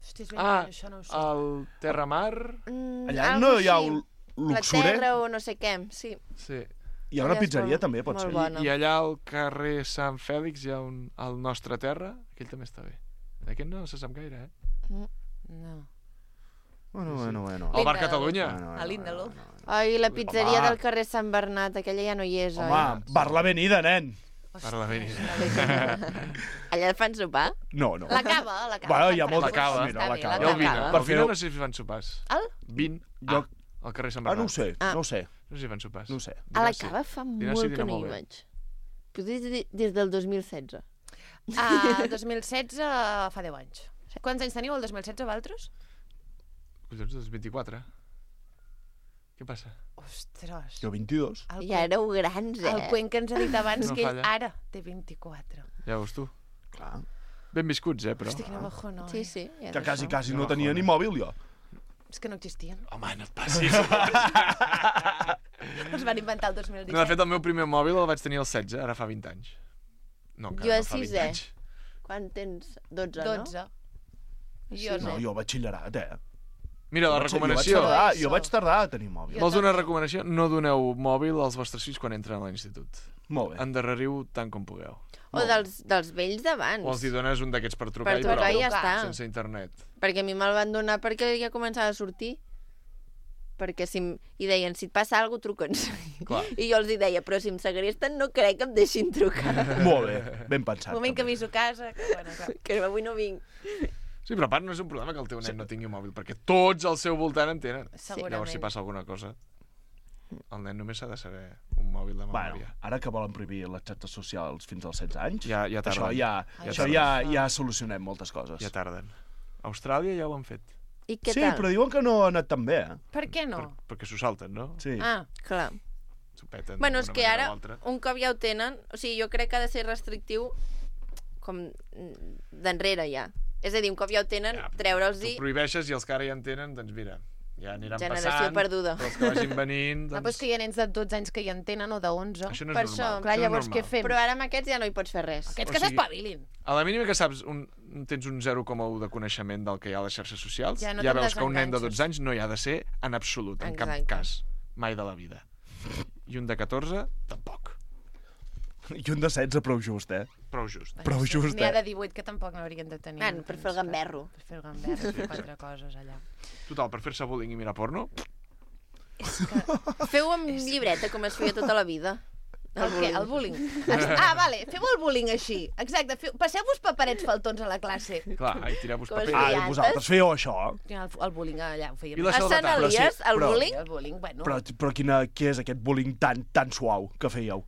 Hosti, és ben Ah, això no ho sé. el Terramar... Allà algo no hi ha així. un La luxure. terra o no sé què, sí. Sí. Hi ha una Allà és pizzeria, molt- també, pot molt ser. bona. I allà al carrer Sant Fèlix hi ha el Nostre Terra. Aquell també està bé. Aquest no se sap gaire, eh? No. Bueno. El Linda Bar de Catalunya. A l'Índalo. Ai, la pizzeria Home. del carrer Sant Bernat, aquella ja no hi és, Home, bar l'avenida, nen. Per l'avenida. Allà fan sopar? No. La cava, la cava. Bueno, hi ha fan molta tacos. cava. Mira, Està la bé, cava. I el Vina. Cava. Per El Vina fer- no sé si fan sopars. El? Vin. Jo- Al carrer Sant Ah, Bernat. no ho sé, Ah. no ho sé. No sé si fan sopars. No ho sé. A la Dinar sí. cava fa Dinar sí, molt dinar que no hi molt bé. vaig. Potser des del 2016. El 2016 fa 10 anys. Quants anys teniu el 2016, vosaltres? Collons, doncs 24. Què passa? Ostres. Jo 22. Ja éreu grans, El eh? Cuenca ens ha dit abans No que ell falla. ara té 24. Ja veus tu. Clar. Ben viscuts, però. Hosti, quina bajona. Sí, sí. Ja Que és quasi, això. quasi no tenia ni mòbil, jo. És que no existien. Home, no et passis. Els van inventar el 2017. No, de fet, el meu primer mòbil el vaig tenir al 16, ara fa 20 anys. No, encara Jo a no fa 20 sisè. anys. Quan tens 12, 12. no? Jo No, no. jo batxillerat, eh? Mira, la recomanació. Jo vaig tardar a tenir mòbil. Vols una recomanació? No doneu mòbil als vostres fills quan entren a l'institut. Molt bé. Endarreriu tant com pugueu. O dels vells d'abans. O els hi dones un d'aquests per trucar, Per trucar i i ja prou, està. sense internet. Perquè a mi me'l van donar perquè ja començava a sortir. Perquè i deien, si et passa alguna cosa, truca'ns. Clar. I jo els hi deia, però si em segresten no crec que em deixin trucar. Molt bé, ben pensat. Un moment que també. aviso a casa. Que, bueno, clar. Que avui no vinc. Sí, però a part no és un problema que el teu nen no tingui un mòbil, perquè tots al seu voltant en tenen. Segurament. Llavors, si passa alguna cosa, el nen només s'ha de saber un mòbil de Bueno, memòria. ara que volen prohibir les xarxes socials fins als 16 anys, Ja això tarden. ja tarden. solucionem moltes coses. Ja tarden. A Austràlia ja ho han fet. I què Sí, tal? però diuen que no ha anat tan bé, eh? Per què no? Perquè s'ho salten, no? Sí. Ah, Clar. S'ho peten Bueno, és d'una que manera ara, o altra. un cop ja ho tenen, o sigui, jo crec que ha de ser restrictiu com d'enrere ja. És a dir, un cop ja ho tenen, Ja, treure'ls-hi Tu prohibeixes i els que ara ja en tenen, doncs mira, ja aniran generació passant. perduda. Però els que vagin venint, no, doncs... però és que hi ha nens de 12 anys que ja en tenen o de 11. Això no per és això, normal. Clar, Això no és llavors què normal. fem? Però ara amb aquests ja no hi pots fer res. Aquests O que sigui, s'espavilin. A la mínima que saps, tens un 0,1 de coneixement del que hi ha a les xarxes socials, Ja no ja te'n veus que un nen de desenganxes. 12 anys no hi ha de ser en absolut, en cap Exacte. cas. Mai de la vida. I un de 14, tampoc. I un de 16 prou just, eh? Prou just. Prou just, N'hi ha eh? de 18 que tampoc n'haurien de tenir. Bueno, per fer el gamberro. Per fer el gamberro, fer 4 coses allà. Total, per fer-se bullying i mirar porno, Feu amb llibreta, com es feia tota la vida. El què? El bullying? Vale, feu el bullying així. Exacte, passeu-vos paperets faltons a la classe. clar, i tireu-vos Com es paper. deia? Ah, vosaltres fèieu això? El bullying allà ho fèiem. I la A Sant Però sí, Elies, el però- bullying? El bullying, bueno. Però què és aquest bullying tan suau que fèieu?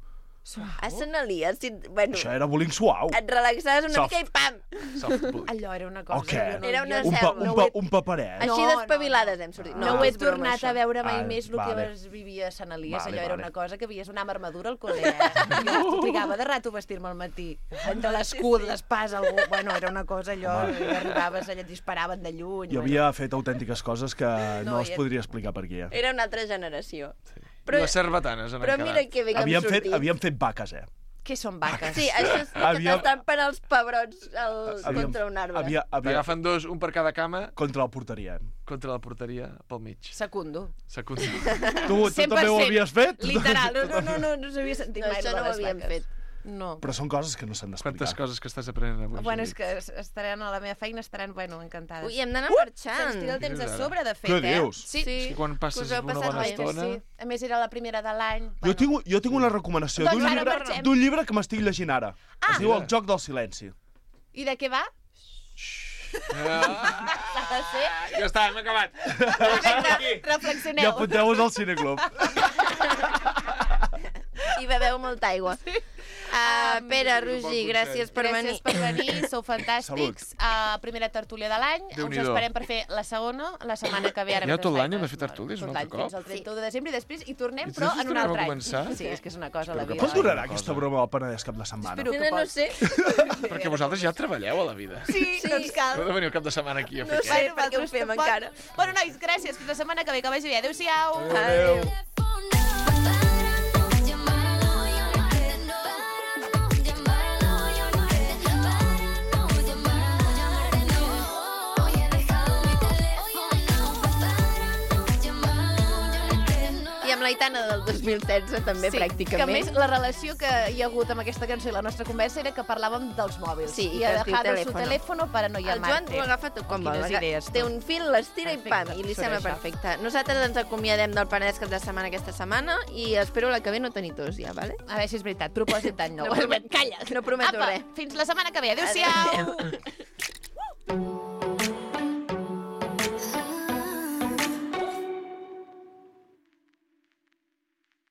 A Sant Elies, bueno, Això era bullying suau. et relaxaves una Soft. mica i pam! Soft bullying. Allò era una cosa... O què? jo no- Era una jo selva. Un paperet. Així No, d'espavilades hem sortit. No ho he és broma, tornat això. a veure mai Ah, més el vale. que es vivia a Sant Elies. Vale, Allò era vale. una cosa que havies una amb armadura al col·le. Jo trigava de rato a vestir-me al matí. Entre l'escut, l'espasa, algú... Bueno, era una cosa allò... I arribaves allà, et disparaven de lluny. Jo havia fet autèntiques coses que no es ja- podria explicar per aquí. Era una altra generació. I les cerbatanes han Però quedat. mira que bé que hem sortit. Havíem fet vaques, eh? Què són vaques? Sí, això és que Havíem- t'estan per als pebrots Havíem- contra un arbre. T'agafen dos, un per cada cama, Contra la porteria. contra la porteria, pel mig. Secundo. Secundo. Tu també ho havies fet? Literal. No s'havia sentit No, mai això lo de no ho les havíem vaques. fet. No. Però són coses que no s'han d'explicar. Quantes coses que estàs aprenent avui, Bueno, Judit? és que estaran a la meva feina, estaran, bueno, encantades. Ui, hem d'anar Se'ns marxant. tira el temps a Dius ara. sobre, de fet, Què eh? dius? Sí. És que quan passes Us heu una passat bona bé, estona... Sí. A més, era la primera de l'any. Jo tinc una recomanació Doncs d'un ara llibre, marxem. d'un llibre que m'estic llegint ara. Es diu El joc del silenci. I de què va? Ah, Ha de ser... ja està, hem acabat. I Reflexioneu. apunteu-vos al cineclub. I beveu molta aigua. Pere, Roger, gràcies per venir. Gràcies per venir, sou fantàstics. Primera tertúlia de l'any. Us Déu-n'hi-do. esperem per fer la segona, la setmana que ve. Ara Ja mentre tot l'any faig hem de fer tertúlies, tot un altre l'any, cop? Fins al 31 de desembre i després hi tornem, I però després en un tornem a altre any. començar? Sí, és que és una cosa la que vida. Quan durarà Una aquesta cosa. broma del Penedès cap de setmana? Espero que No pot. sé. Perquè vosaltres ja treballeu a la vida. Sí, no ens cal. Heu de venir el cap de setmana aquí a fer No què? sé per què ho fem encara. Bueno, nois, gràcies. Fins la setmana que ve. Que vagi bé. Adéu-siau. Adéu. I amb l'Aitana del 2016 també, Sí, pràcticament. que a més la relació que hi ha hagut amb aquesta cançó i la nostra conversa era que parlàvem dels mòbils. Sí, I que ha es diu dejado su teléfono. teléfono para no El Joan llamarte. ho agafa tot com vol. Quines idees, Té tu. un fil, l'estira i pam, Perfecte, i li sobre sembla això. perfecte. Nosaltres ens acomiadem del Penedès cap de setmana aquesta setmana i espero la que ve no tenir tos ja, vale? A veure si és veritat. Propòsit d'any nou. No promet- Calla. no prometo Apa, res. Fins la setmana que ve. Adéu-siau. Adéu.